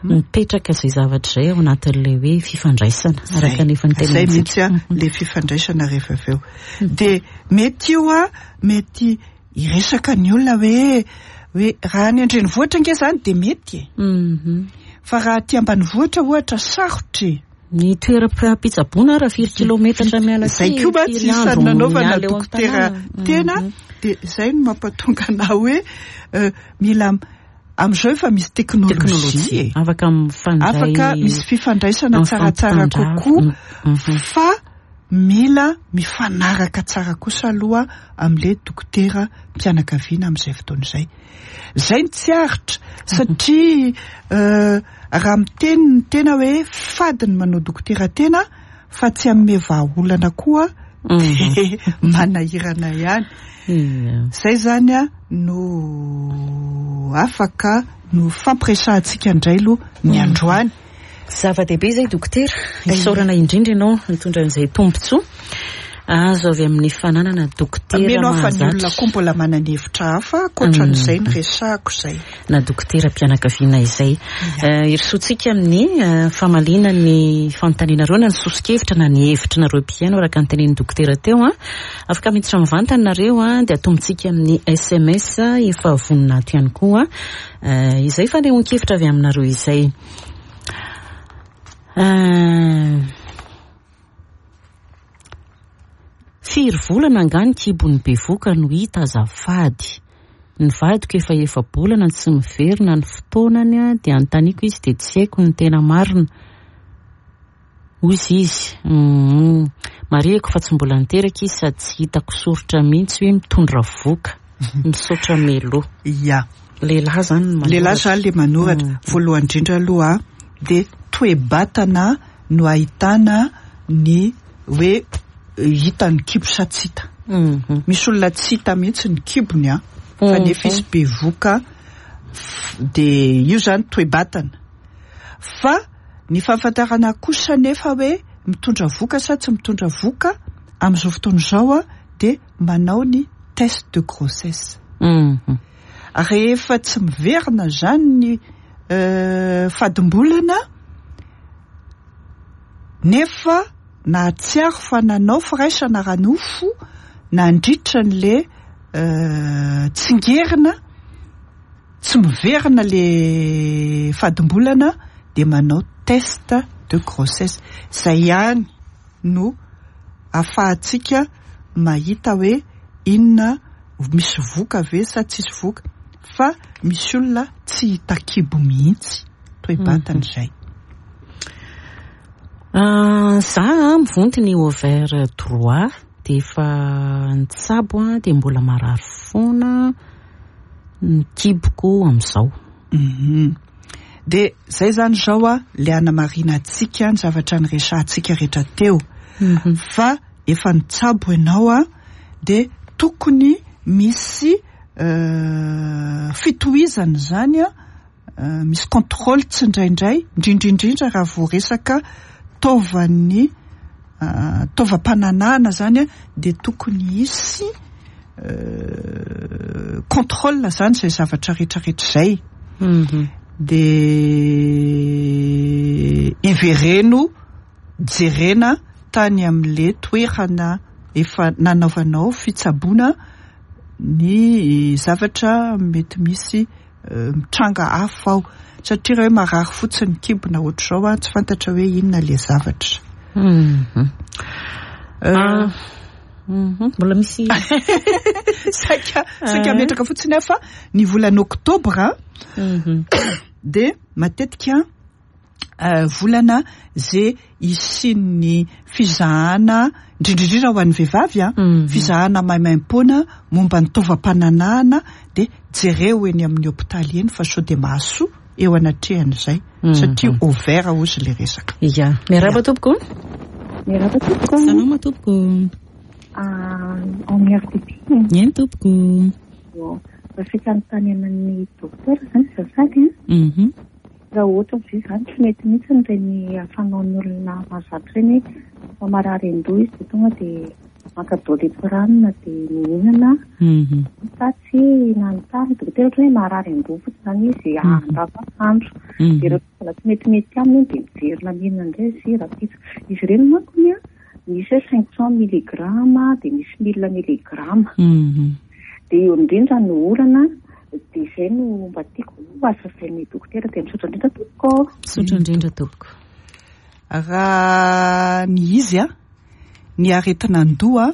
mipetraka izay zavatra izay ao anatin'ilay hoe fifandraisana araka ny efa nitenentsika. Izay mihitsy a, le fifandraisana rehefa avy eo. Dia mety io a, mety hiresaka ny olona hoe hoe raha any an-drenivohitra ange izany dia mety e. Fa raha aty ambanivohitra ohatra sarotra e. Ny toeram-pitsaboana raha firy kilometatra miala aty, Izay koa mantsy firy isan'ny andro nanaovana miala eo dokotera an-tanàna. tena dia izay no mampatonga anah hoe mila amin'izao efa misy teknolojia Teknolojia. e. Afaka mifandray Afaka misy fifandraisana tsaratsara mifampitandrava. kokoa fa mila mifanaraka tsara kosa aloha amin'ilay dokotera mpianakaviana amin'izay fotoana izay. Izay no tsy aritra satria raha miteny ny tena hoe fady ny manao dokotera tena fa tsy hanome vahaolana koa dia manahirana ihany. Izay izany no afaka no fampiresahantsika indray aloha ny androany. Zava-dehibe izay dokotera. Isaorana indrindra ianao nitondra an'izay tombontsoa azo avy amin'ny fananana dokotera Mino aho fa ny mahazatra. olona koa mbola manana hevitra hafa ankoatran'izay niresahako izay. Na dokoteram-pianakaviana izay. Hirosoantsika amin'ny famaliana ny fanontanianareo na ny soso-kevitra na ny hevitrinareo mpihaino araka ny tenenin'ny dokotera teo. Afaka miditra mivantana nareo dia atombontsika amin'ny SMS efa vonona ato ihany koa. Izay fanehoan-kevitra avy aminareo izay. Firy volana angaha ny kibon'ny bevoka no hita azafady? Ny vadiko efa efa-bolana tsy miverina ny fotoanany dia anontaniako izy dia tsy haiko ny tena marina. Hoy izy. Marihiko fa tsy mbola niteraka izy sady tsy hitako soritra mihitsy hoe mitondra voka. Misaotra Melo. Ya. Lehilahy izany no manoratra. Lehilahy izany ilay manoratra. Voalohany indrindra aloha dia toe-batana no ahitana ny hoe hita ny kibo sa tsy hita. Misy olona tsy hita mihitsy ny kibony an, fa nefa izy bevoka dia io izany toe-batana. Fa ny fahafantarana kosa nefa hoe mitondra voka sa tsy mitondra voka amin'izao fotoana izao dia manao ny test de grossesse. Rehefa tsy miverina izany ny fadimbolana nefa nahatsiaro fa nanao firaisana ara-nofo nandritra an'ilay tsingerina, tsy miverina ilay fadimbolana dia manao test de grossesse. Izay ihany no ahafahantsika mahita hoe inona misy voka ve sa tsisy voka, fa misy olona tsy hita kibo mihitsy toe-batana izay. Za mivonto ny ovaire droit dia efa nitsabo dia mbola marary foana. ny kiboko amin'izao. Dia izay izany izao a, ilay hanamarinantsika ny zavatra niresahantsika rehetra teo. Fa efa nitsabo ianao a, dia tokony misy fitohizana izany a, misy contrôle tsindraindray, indrindra indrindra raha vao resaka taovan'ny taovam-pananahana izany a, dia tokony hisy contrôle izany izay zavatra rehetrarehetra izay. Dia ivereno jerena tany amin'ilay toerana efa nanaovanao fitsaboana ny zavatra mety misy mitranga hafa ao, satria raha hoe marary fotsiny ny kibo na ohatr'izao an, tsy fantatra hoe inona ilay zavatra. Mbola misy saika saika ametraka fotsiny aho fa ny volana oktobra dia matetika volana ze hisian'ny fizahana, indrindra indrindra ho an'ny vehivavy an, fizahana maimaimpoana momba ny taovam-pananahana dia jereo eny amin'ny hopitaly eny fa sao dia mahasoa eo anatrehan'izay satria ouvert hozy ilay resaka. Ya, miarahaba tompoko. Miarahaba tompoko. Salama tompoko. Ao amin'ny RTP. Eny tompoko. Saika anontaniana ny docteur izany azafady an. Raha ohatra ve izany tsy mety mihitsy ireny fanaon'ny olona mahazatra ireny hoe rehefa marary an-doha izy dia tonga dia maka doliprane dia mihinana sa tsy nanontany dokotera ohatra hoe marary an-doha fotsiny izany izy andavanandro dia rehefa mbola tsy metimety aminy iny dia miverina mihinana indray izy rahampitso. Izy ireny manko ny misy hoe 500 milligramme dia misy 1000 milligramme. Dia eo indrindra no olana dia izay no mba tiako hazavain'ny dokotera dia misaotra indrindra tompoko. Misaotra indrindra tompoko. Raha ny izy an, ny aretin'andoha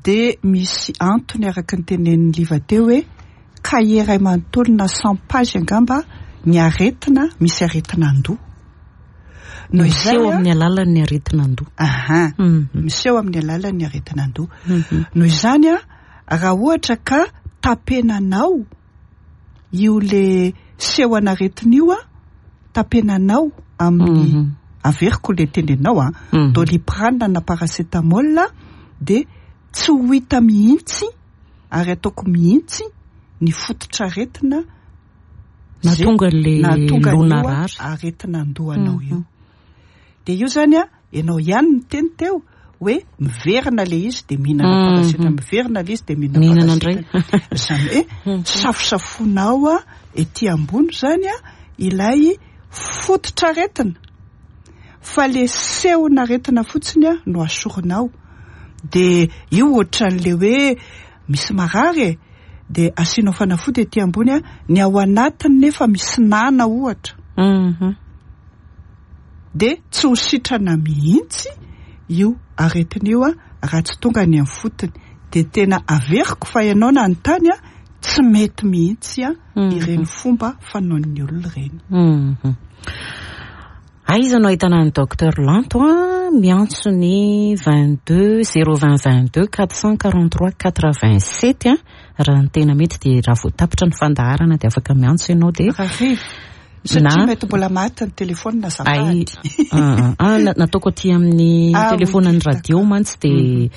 dia misy antony araka ny tenenin'i Liva teo hoe cahier iray manontolo na 100 pages angamba ny aretina misy aretin'andoha. Noho izay Miseho amin'ny alalan'ny aretin'andoha. Aha. Miseho amin'ny alalan'ny aretin'andoha. Noho izany an, raha ohatra ka tapenanao io le seho an'aretina io an, tapenanao amin'ny averiko le tenenao an, doliprane na paracétamol dia tsy ho hita mihitsy ary ataoko mihitsy ny fototr'aretina Nahatonga an'ilay nahatonga loha an'io narary. aretin'andohanao io. Dia io zany an, ianao ihany niteny teo hoe miverina ilay izy dia mihinana paracétamol, miverina ilay izy dia mihinana Mihinana indray. paracétamol. Izany hoe safosafonao an, ety ambony izany an, ilay fototr'aretina. Fa ilay sehon'aretina fotsiny an no asorinao. Dia io ohatran'ilay hoe misy marary e, dia asianao fanafody ety ambony an, ny ao anatiny nefa misy nana ohatra. Dia tsy ho sitrana mihitsy io aretina io an, raha tsy tonga any amin'ny fotony. Dia tena averiko fa ianao nanontany an, tsy mety mihitsy an ireny fomba fanaon'ny olona ireny. Aiza no ahitana an'i Docteur Lanto a? Miantso ny 22 020 22 443 87 a. Raha ny tena mety dia raha vao tapitra ny fandaharana dia afaka miantso ianao dia Rahariva. Satria mety mbola maty ny telefaonina Ay, azafady. ah, nataoko aty amin'ny Ah, oui, telefaonan'ny d'accord. radio mantsy dia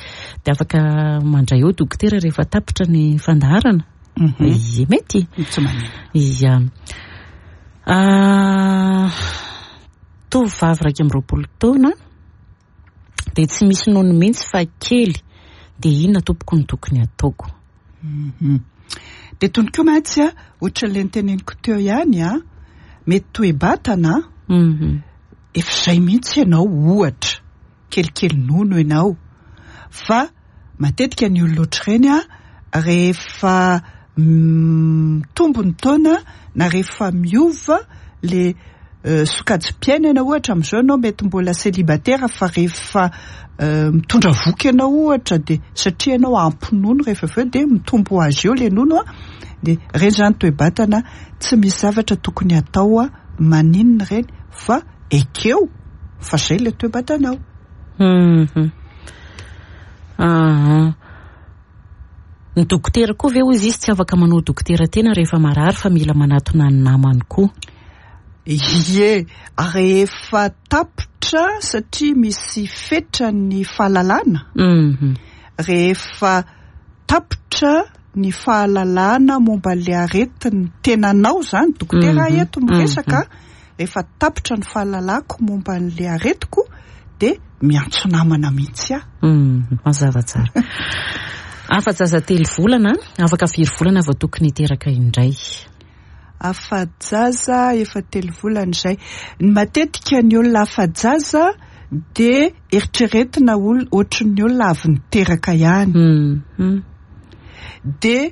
dia afaka mandray eo dokotera rehefa tapitra ny fandaharana. Ie, mety. Tsy maninona. Ia. Tovovavy 21 taona dia tsy misy nono mihitsy fa kely dia inona tompoko no tokony ataoko? Dia tony koa mantsy a, ohatran'ilay noteneniko teo ihany a, mety toe-batana efa izay mihitsy ianao ohatra, kelikely nono ianao, fa matetika ny olona ohatr'ireny a, rehefa mitombo ny taona na rehefa miova le sokajim-piainana ohatra amin'izao ianao mety mbola célibataire fa rehefa mitondra voky ianao ohatra dia satria ianao ampy nono rehefa avy eo dia mitombo ho azy eo le nono a, dia ireny izany toe-batana tsy misy zavatra tokony hatao a, maninona ireny fa ekeo fa izay le toe-batanao. Ny dokotera koa ve hoy izy tsy afaka manao dokotera tena rehefa marary fa mila manatona ny namany koa? Ie, rehefa tapitra satria misy fetra ny fahalalana. Rehefa tapitra ny fahalalana momba ilay aretin'ny tenanao izany, dokotera aho eto miresaka, rehefa tapitra ny fahalalako momba an'ilay aretiko dia miantso namana mihitsy aho. Mazava tsara. Afa-jaza 3 volana, afaka firy volana vao tokony hiteraka indray? Afa-jaza efa 3 volana izay. Ny matetika ny olona afa-jaza dia eritreretina ohatry ny olona avy niteraka ihany. Dia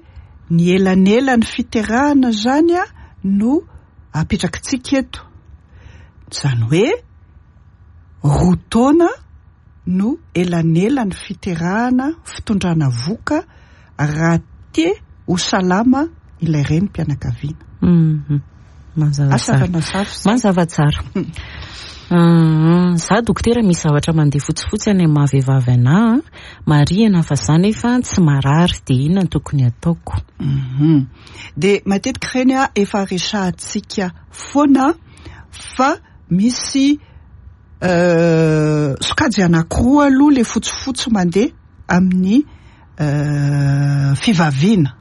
ny elanelan'ny fiterahana izany no apetrakitsika eto. Izany hoe 2 taona no elanelan'ny fiterahana, fitondrana voka raha te ho salama ilay renim-pianakaviana. Mazava tsara. Mazava tsara. Za dokotera misy zavatra mandeha fotsifotsy any amin'ny maha-vehivavy anahy, marihana fa za nefa tsy marary, dia inona no tokony ataoko? Dia matetika ireny efa resahantsika foana fa misy sokajy anankiroa aloha le fotsifotsy mandeha amin'ny fivaviana.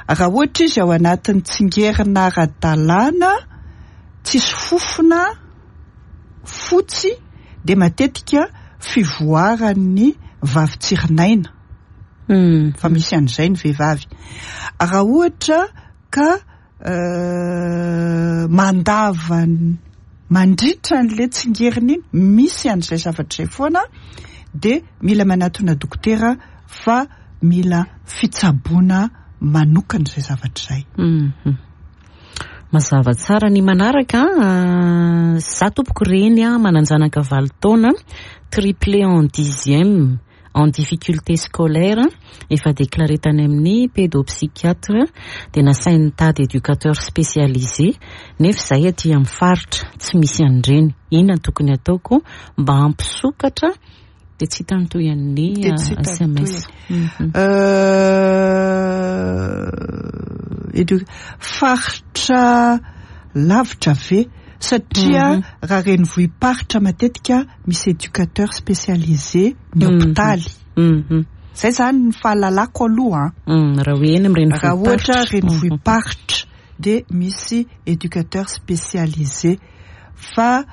Raha ohatra izy ao anatin'ny tsingerina ara-dalàna, tsisy fofona, fotsy, dia matetika fivoaran'ny vavitsirinaina. Fa misy an'izay ny vehivavy. Raha ohatra ka mandava mandritra an'ilay tsingerina iny, misy an'izay zavatra izay foana, dia mila manatona dokotera fa mila fitsaboana manokana izay zavatra izay. Mazava tsara ny manaraka. Za tompoko reny manan-janaka 8 taona, triplé en 10e, en difficulté scolaire, efa déclaré tany amin'ny pédopsychiatre, dia nasainy nitady éducateur spécialisé, nefa izay aty amin'ny faritra tsy misy an'ireny. Inona no tokony ataoko mba hampisokatra? Dia tsy hita ny tohin'ny SMS. Faritra lavitra ve? Satria raha renivohi-paritra matetika misy éducateur spécialisé ny hopitaly. Zay zany ny fahalalako aloha. Raha hoe eny amin'ny Raha ohatra renivohi-paritra dia misy éducateur spécialisé. Fa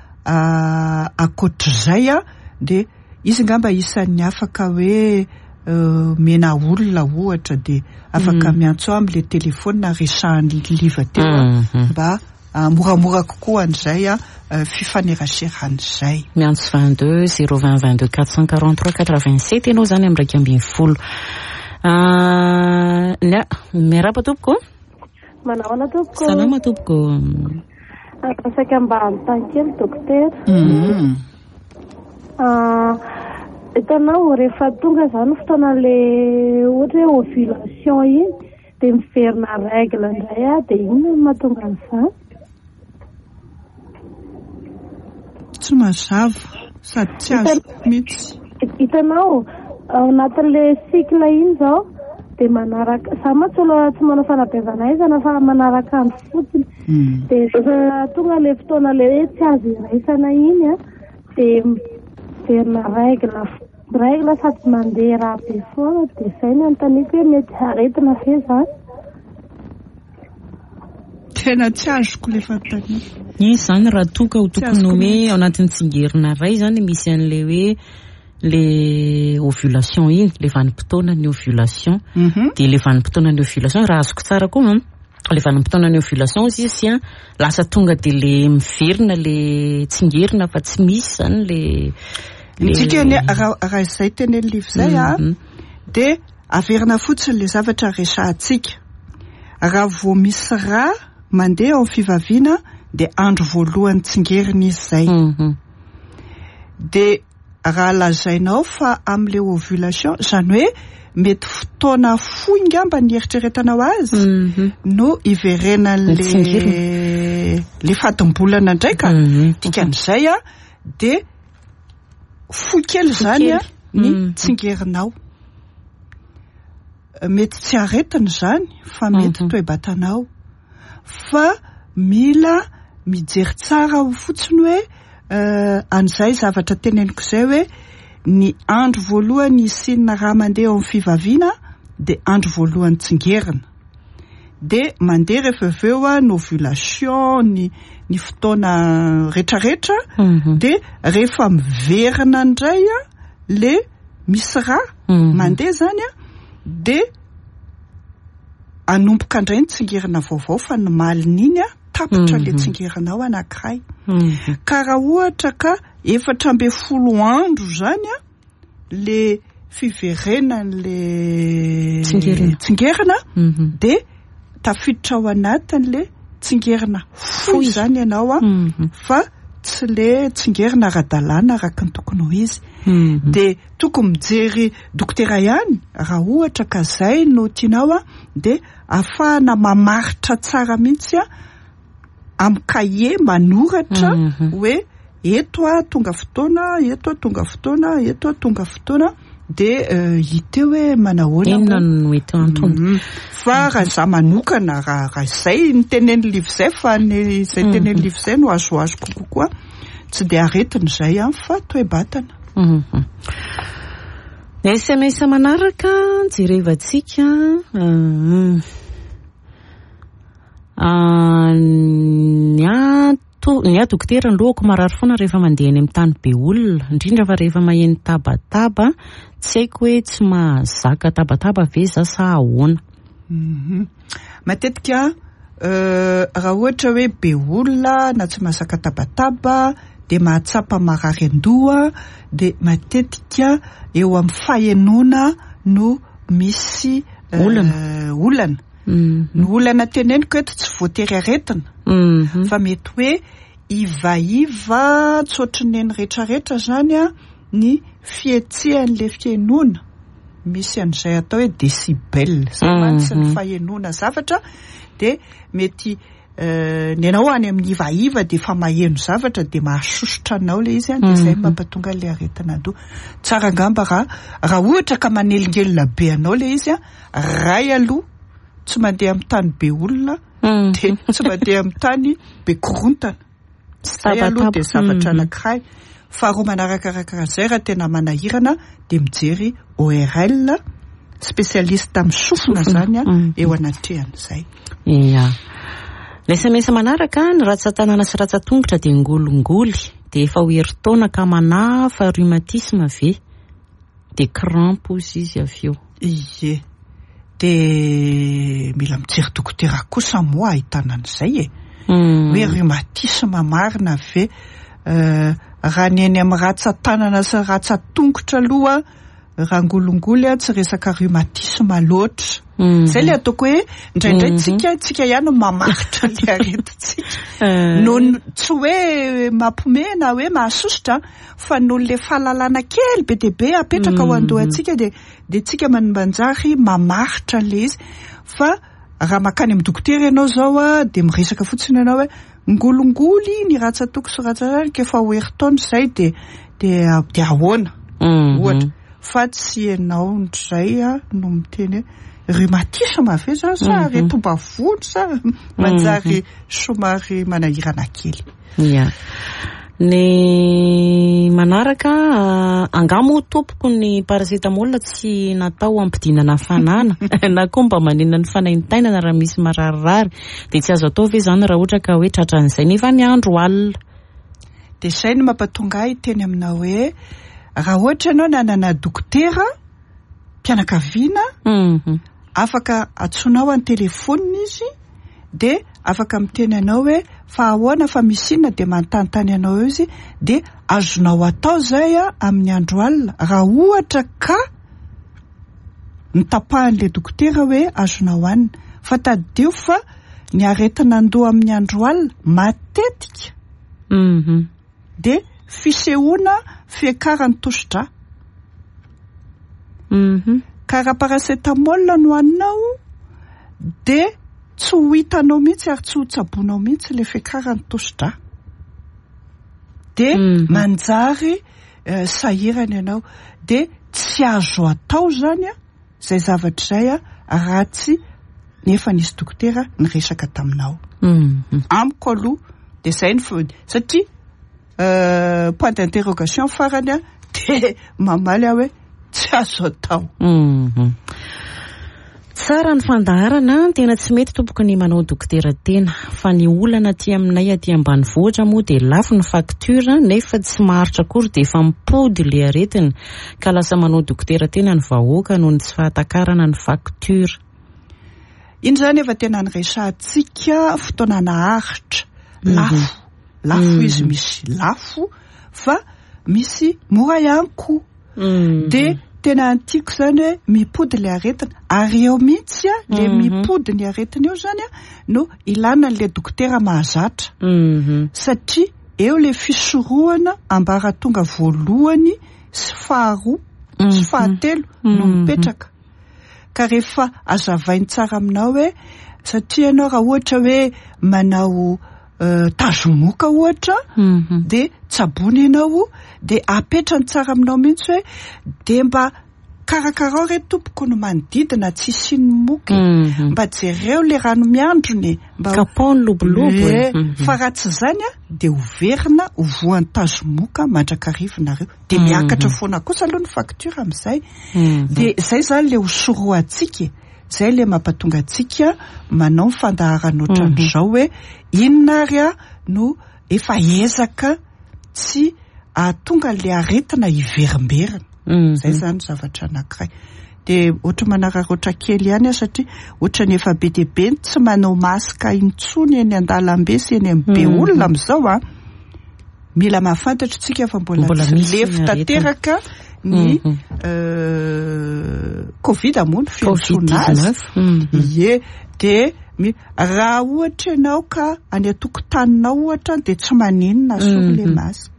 ankoatr'izay dia izy angamba isan'ny afaka hoe mena olona ohatra dia afaka miantso amin'ilay telefona resahan'ny Liva teo mba moramora kokoa an'izay fifaneraseran'izay. Miantso 22 020 22 443 87 ianao zany amin'ny 11. Miarahaba tompoko. Manahoana tompoko? Salama tompoko. Saika mba hanontany kely dokotera. Hitanao rehefa tonga zany fotoana le ohatra hoe ovulation iny dia miverina règle indray aho, dia inona no mahatonga an'izany? Tsy mazava sady tsy azoko mihitsy. Hitanao ao anatin'le cycle iny izao dia manaraka, za mantsy aloha tsy manao fanabeazana aizana fa manaraka andro fotsiny. Dia rehefa tonga le fotoana le hoe tsy azo iraisana iny dia miverina règle sady mandeha raha be foana, dia izay no anontaniako hoe mety aretina ve izany? Tena tsy azoko le fanontaniana. Izy izany raha toa ka ho tokony hoe ao anatin'ny tsingerina iray izany misy an'ilay hoe le ovulation iny, le vanim-potoanan'ny ovulation. Dia le vanim-potoanan'ny ovulation, raha azoko tsara koa, le vanim-potoanan'ny ovulation izy izy lasa tonga dia le miverina le tsingerina fa tsy misy izany le Ny dikany raha izay tenen'ny Liva izay dia averina fotsiny le zavatra resahantsika. Raha vao misy rà mandeha ao amin'ny fivaviana dia andro voalohany tsingerina izy izay. Dia raha lazainao fa amin'ilay ovulation, izany hoe mety fotoana fohy ngamba ny eritreretanao azy no iverenan'le le fadimbolana indray ka. Dikan'izay dia fohy kely izany ny tsingerinao. Mety tsy aretina izany fa mety toe-batanao. Fa mila mijery tsara ao fotsiny hoe an'izay zavatra teneniko izay hoe ny andro voalohany hisian'ny rà mandeha eo amin'ny fivaviana dia andro voalohany tsingerina. Dia mandeha rehefa avy eo ny ovulation, ny ny fotoana retraretra dia rehefa miverina indray le misy rà mandeha zany dia anomboka indray ny tsingerina vaovao fa ny malin'iny tapitra le tsingerina ao anankiray. Ka raha ohatra ka 14 andro zany le fiverenan'le tsingerina dia tafiditra ao anatin'le tsingerina fohy zany ianao fa tsy le tsingerina ara-dalàna araka ny tokony ho izy. Dia tokony mijery dokotera ihany raha ohatra ka zay no tianao dia ahafahana mamaritra tsara mihitsy amin'ny kahie manoratra hoe eto aho tonga fotoana, eto aho tonga fotoana, eto aho tonga fotoana, dia hita eo hoe manahoana Inona no eto antony? Fa raha izaho manokana, raha raha izay ny tenenin'i Liva izay, fa ny izay tenenin'i Liva izay no azoazoko kokoa, tsy dia aretina izay an, fa toe-batana. Ny SMS manaraka jerevantsika. Ny ahy to, ny ahy dokotera ny lohako marary foana rehefa mandeha eny amin'ny tany be olona, indrindra fa rehefa maheno tabataba, tsy haiko hoe tsy mahazaka tabataba ve za sa ahoana? Matetika raha ohatra hoe be olona na tsy mahazaka tabataba dia mahatsapa marary an-doha dia matetika eo amin'ny fahenoana no misy Olana. Olana. Ny olana teneniko eto tsy voatery aretina fa mety hoe ivaiva tsy ohatry ny eny rehetrarehetra zany a ny fihetsehan'le fihainoana, misy an'izay atao hoe décibel zay mantsy ny fahenoana zavatra dia mety ny anao any amin'ny ivaiva dia efa maheno zavatra dia mahasosotra anao ilay izy dia izay mampatonga ilay aretina an-doha. Tsara angamba raha raha ohatra ka manelingelina be anao ilay izy ray aloha tsy mandeha amin'ny tany be olona dia tsy mandeha amin'ny tany be korontana. Zay aloha dia zavatra anankiray. Faharoa manarakaraka an'izay raha tena manahirana dia mijery ORL, spécialiste amin'ny sofina zany eo anatrehan'izay. Ia. Ny SMS manaraka, ny ratsan-tanana sy ratsan-tongotra dia ngolingoly, dia efa ho herintaona ka manahy fa rhumatisme ve? Dia crampe hozy izy avy eo. Ie. Dia mila mijery dokotera kosa moa ahitana an'izay e. Hoe rhumatisme marina ve? Raha ny eny amin'ny ratsan-tanana sy ratsan-tongotra aloha, raha ngolingoly tsy resaka rhumatisme loatra. Izay ilay ataoko hoe indraindray tsika, tsika ihany no mamaritra ny aretintsika. Noho ny, tsy hoe mampiomehy na hoe mahasosotra fa noho ilay fahalalana kely be dia be apetraka ao an-dohantsika dia dia tsika manjary mamaritra an'ilay izy. Fa raha mankany amin'ny dokotera ianao izao dia miresaka fotsiny ianao hoe ngolingoly ny ratsan-toko sy ratsan-tanako efa ho herintaona izay dia dia dia ahoana ohatra. Fa tsy ianao indray no miteny hoe rhumatisme ve izany sa aretim-bavony sa manjary somary manahirana kely. Ia. Ny manaraka, angaha moa tompoko ny paracetamol tsy natao hampidinana hafanana na koa mba manena ny fanaintainana raha misy mararirary, dia tsy azo atao ve izany raha ohatra ka hoe tratran'izay nefa ny andro alina? Dia izay no mampatonga ahy hiteny aminao hoe raha ohatra ianao nanana dokotera mpianakaviana, afaka antsoinao an-telefonina izy dia afaka miteny anao hoe fa ahoana fa misy inona dia manontanontany anao eo izy dia azonao atao izay amin'ny andro alina raha ohatra ka notapahan'ilay dokotera hoe azonao hanina. Fa tadidio fa ny aretin'andoha amin'ny andro alina matetika dia fisehoana fiakaran'ny tosi-drà. Ka raha paracetamol no haninao dia tsy ho hitanao mihitsy ary tsy ho tsaboinao mihitsy ilay fiakaran'ny tosi-drà. Dia manjary sahirana ianao. Dia tsy azo atao izany an. izay zavatra izay raha tsy nefa nisy dokotera niresaka taminao. Amiko aloha dia izay ny satria point d'interrogation farany dia mamaly aho hoe tsy azo atao. Tsara ny fandaharana, tena tsy mety tompoko ny manao dokotera tena, fa ny olana aty aminay aty ambanivohitra moa dia lafo ny facture nefa tsy maharitra akory dia efa mipody ilay aretina, ka lasa manao dokotera tena ny vahoaka noho ny tsy fahatakarana ny facture. Iny izany efa tena niresahantsika fotoana naharitra, lafo, lafo izy misy lafo fa misy mora ihany koa. Dia tena tiako izany hoe mipody ilay aretina, ary eo mihitsy ilay mipody ny aretina eo izany no ilana an'ilay dokotera mahazatra, satria eo ilay fisorohana ambaratonga voalohany sy faharoa sy fahatelo no mipetraka. Ka rehefa azavainy tsara aminao hoe satria ianao raha ohatra hoe manao tazomoka ohatra dia tsaboina ianao dia apetrany tsara aminao mihitsy hoe dia mba karakarao re tompoko ny manodidina tsy hisian'ny moka e. Mba jereo le rano miandrona e. Mba Kapao ny lobolobo e. Fa raha tsy izany dia ho verina ho voan'ny tazomoka mandrakariva nareo. Dia miakatra foana kosa aloha ny facture amin'izay. Dia izay izany le ho sorohantsika e. Izay le mampatonga antsika manao ny fandaharana ohatran'izao hoe inona ary no efa ezaka tsy ahatonga an'ilay aretina hiverimberina. Izay izany zavatra anankiray. Dia ohatra manararaotra kely ihany aho satria ohatran'ny efa be dia be ny tsy manao masque intsony eny an-dalambe sy eny amin'ny be olona amin'izao an. Mila mahafantatra isika fa mbola tsy lefy tanteraka ny Covid moa no fiantsoana azy. Ie, dia raha ohatra ianao ka any an-tokotaninao ohatra dia tsy maninona asory ilay masque.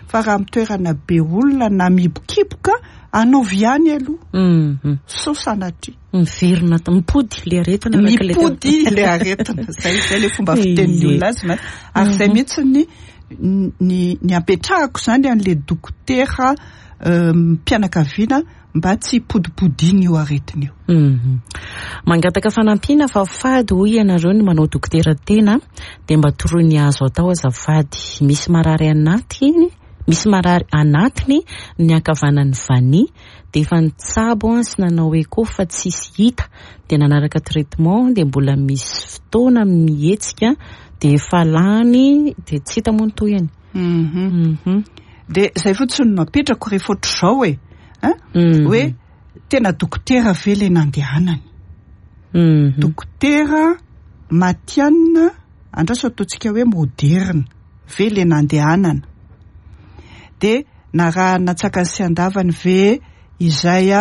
Fa raha amin'ny toerana be olona na mihibokiboka, anaovy ihany aloha. Sao sanatria. Miverina, mipody ilay aretina araka ilay teo. Mipody ilay aretina. Izay, izay ilay fomba fitenin'ny olona azy. Ary izay mihitsy ny ny ny ampetrahako izany an'ilay dokotera mpianakaviana mba tsy hipodipodiana io aretina io. Mangataka fanampiana fa fady hoy ianareo ny manao dokotera tena dia mba toroy ny azo atao azafady. Misy marary anatiny, misy marary anatiny ny ankavanan'ny vania dia efa nitsabo sy nanao echo fa tsisy hita dia nanaraka traitement dia mbola misy fotoana mihetsika dia efa lany dia tsy hita moa ny tohiny. Dia izay fotsiny no apetrako rehefa ohatr'izao e. Hoe tena dokotera ve ilay nandehanany? Dokotera matihanina, andraso ataontsika hoe moderina ve ilay nandehanana? Dia narahana antsakany sy andavany ve izay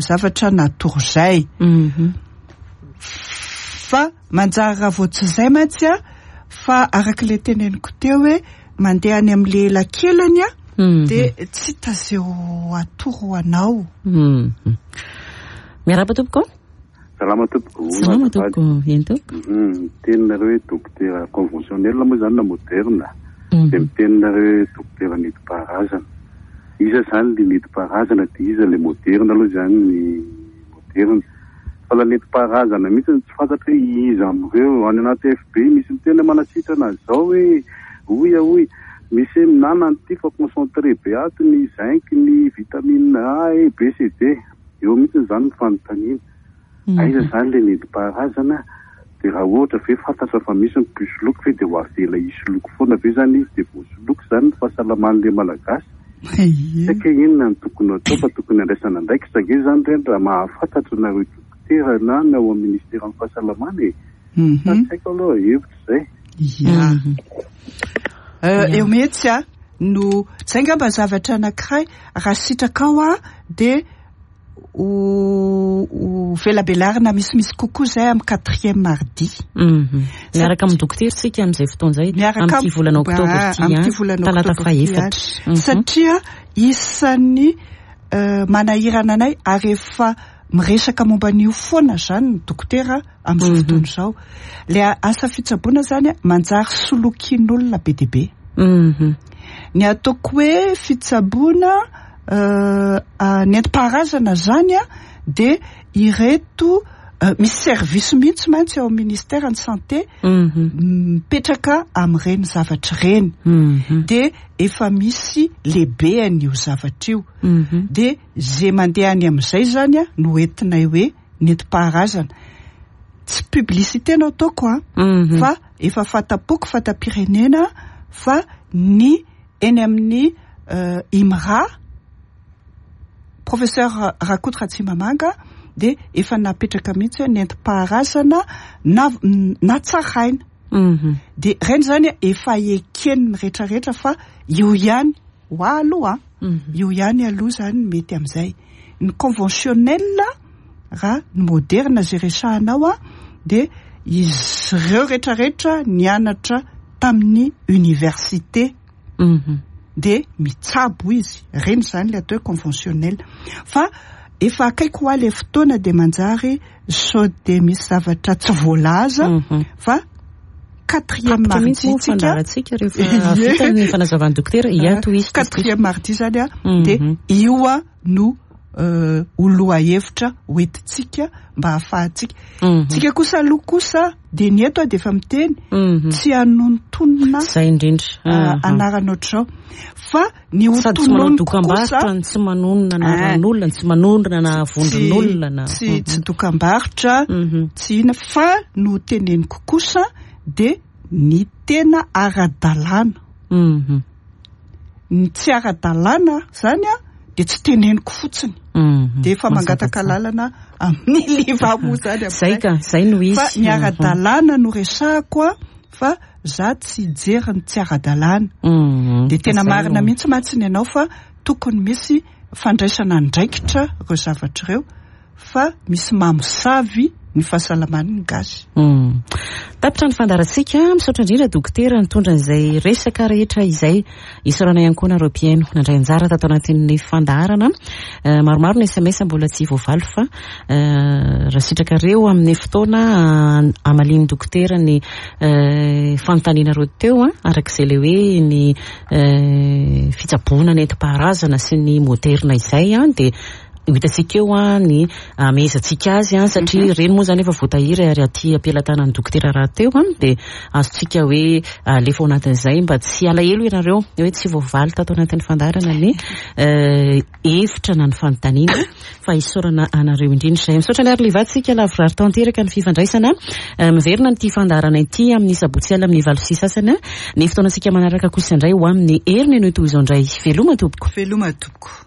zavatra natoro izay? Fa manjary raha vao tsy izay mantsy fa araka ilay teneniko teo hoe mandeha any amin'ilay elakelany dia tsy hita izay ho atoro anao. Miarahaba tompoko. Salama tompoko. Salama tompoko. Eny tompoko. Miteny nareo hoe dokotera conventionnel moa izany na moderne. Dia miteny nareo hoe dokotera nentim-paharazana. Iza izany ilay nentim-paharazana dia iza ilay moderne aloha izany ny moderne. Fa la nentim-paharazana mihitsy no tsy fantatra hoe iza amin'ireo. Any anaty FB misy miteny hoe manasitrana an'izao hoe hoy ahoy. Misy hoe mihinana an'ity fa concentré be ato ny zinc, ny vitamine A, E, B, C, D. Eo mihitsy izany ny fanontaniana. Aiza izany ilay nentim-paharazana? Dia raha ohatra ve fantatra fa misy ny mpisoloky ve dia ho avela hisoloky foana ve izany izy dia voasoloky izany ny fahasalaman'ilay Malagasy? Tsy haiko hoe inona no tokony hatao fa tokony handraisana andraikitra ange izany ireny raha mahafantatra nareo dokotera na ny ao amin'ny ministeran'ny fahasalamana e! Fa tsy haiko aloha hevitra izay. Ya. Eo mihitsy a no izay angamba zavatra anankiray raha sitrakao aho dia ho velabelarina misimisy kokoa izay amin'ny quatrième mardi. Miaraka amin'ny dokotera isika amin'izay fotoana izay, amin'ity volana oktobra ity, amin'ity volana talata oktobra ity fahefatra. Satria isan'ny manahirana anay ary efa miresaka momba an'io foana izany ny dokotera amin'izao fotoana izao. Ilay asa fitsaboana izany manjary solokian'olona be dia be. Ny ataoko hoe fitsaboana. Nentim-paharazana zany a dia ireto misy service mihitsy mantsy ao amin'ny ministère ny santé mipetraka amin'ireny zavatra ireny. Dia efa misy lehibean'io zavatra io. Dia ze mandeha any amin'izay zany a no entinay hoe nentim-paharazana. Tsy publicité no ataoko a, fa efa fanta-poko, fanta-pirenena fa ny eny amin'ny IMRA, Professeur Rakoto Ratsimamanga dia efa napetraka mihitsy hoe nentim-paharazana na natsaraina. Dia ireny zany efa eken'ny rehetrarehetra fa io ihany ho ahy aloha, io ihany aloha zany mety amin'izay. Ny conventionnel raha ny moderne izay resahanao dia izy ireo rehetrarehetra nianatra tamin'ny université. Dia mitsabo izy, ireny izany ilay atao hoe conventionnel. Fa efa akaiky ho ahy ilay fotoana dia manjary sao dia misy zavatra tsy voalaza fa quatrième Tapitra mardi mihitsy moa tsika. fandaharantsika rehefa vita ny fanazavan'ny dokotera. Ia, tohizo, tohizo. Quatrième mardi izany a, dia io a no ho lohahevitra hoentintsika mba hahafahantsika. Tsika kosa aloha kosa dia ny eto dia efa miteny tsy hanonontonona Izay indrindra. Anarana ohatr'izao fa ny ho Sady tsy manao tononiko kosa dokam-barotra, ny tsy manonona anaran'olona, ny tsy manonona na vondron'olona na Tsy dokam-barotra, tsy inona fa ny ho teneniko kosa dia ny tena ara-dalàna. Ny tsy ara-dalàna zany a dia tsy teneniko fotsiny. Dia efa mangataka lalana amin'ny Liva moa zany amin'izay. Zay ka, zay no izy. Fa ny ara-dalàna no resahako a, fa za tsy hijery ny tsy ara-dalàna. Dia tena marina mihitsy mantsy ny anao fa tokony misy fandraisana andraikitra ireo zavatra ireo. Fa misy mamosavy ny fahasalaman'ny gasy. Tapitra ny fandaharantsika. Misaotra indrindra dokotera nitondra an'izay resaka rehetra izay. Isaorana ihany koa nareo mpihaino nandray anjara tato anatin'ny fandaharana. Maromaro ny SMS mbola tsy voavaly fa raha sitrakareo amin'ny fotoana hamalian'ny dokotera ny fanontanianareo teo, araka izay ilay hoe ny fitsaboana nentim-paharazana sy ny moderna izay, dia ho hitantsika eo ny hamehezantsika azy, satria ireny moa izany efa voatahiry ary aty am-pelatanan'ny dokotera rahateo, dia azontsika hoe alefa ao anatin'izay mba tsy alahelo ianareo hoe tsy voavaly tato anatin'ny fandaharana ny hevitra na ny fanontaniana, fa isaorana anareo indrindra izay. Misaotra ny Arliva, tsika lavorary tanteraka ny fifandraisana. Miverina amin'ity fandaharana ity amin'ny sabotsy alina amin'ny valo sy sasany. Ny fotoanantsika manaraka kosa indray ho amin'ny heriny no toy izao indray. Veloma tompoko. Veloma tompoko.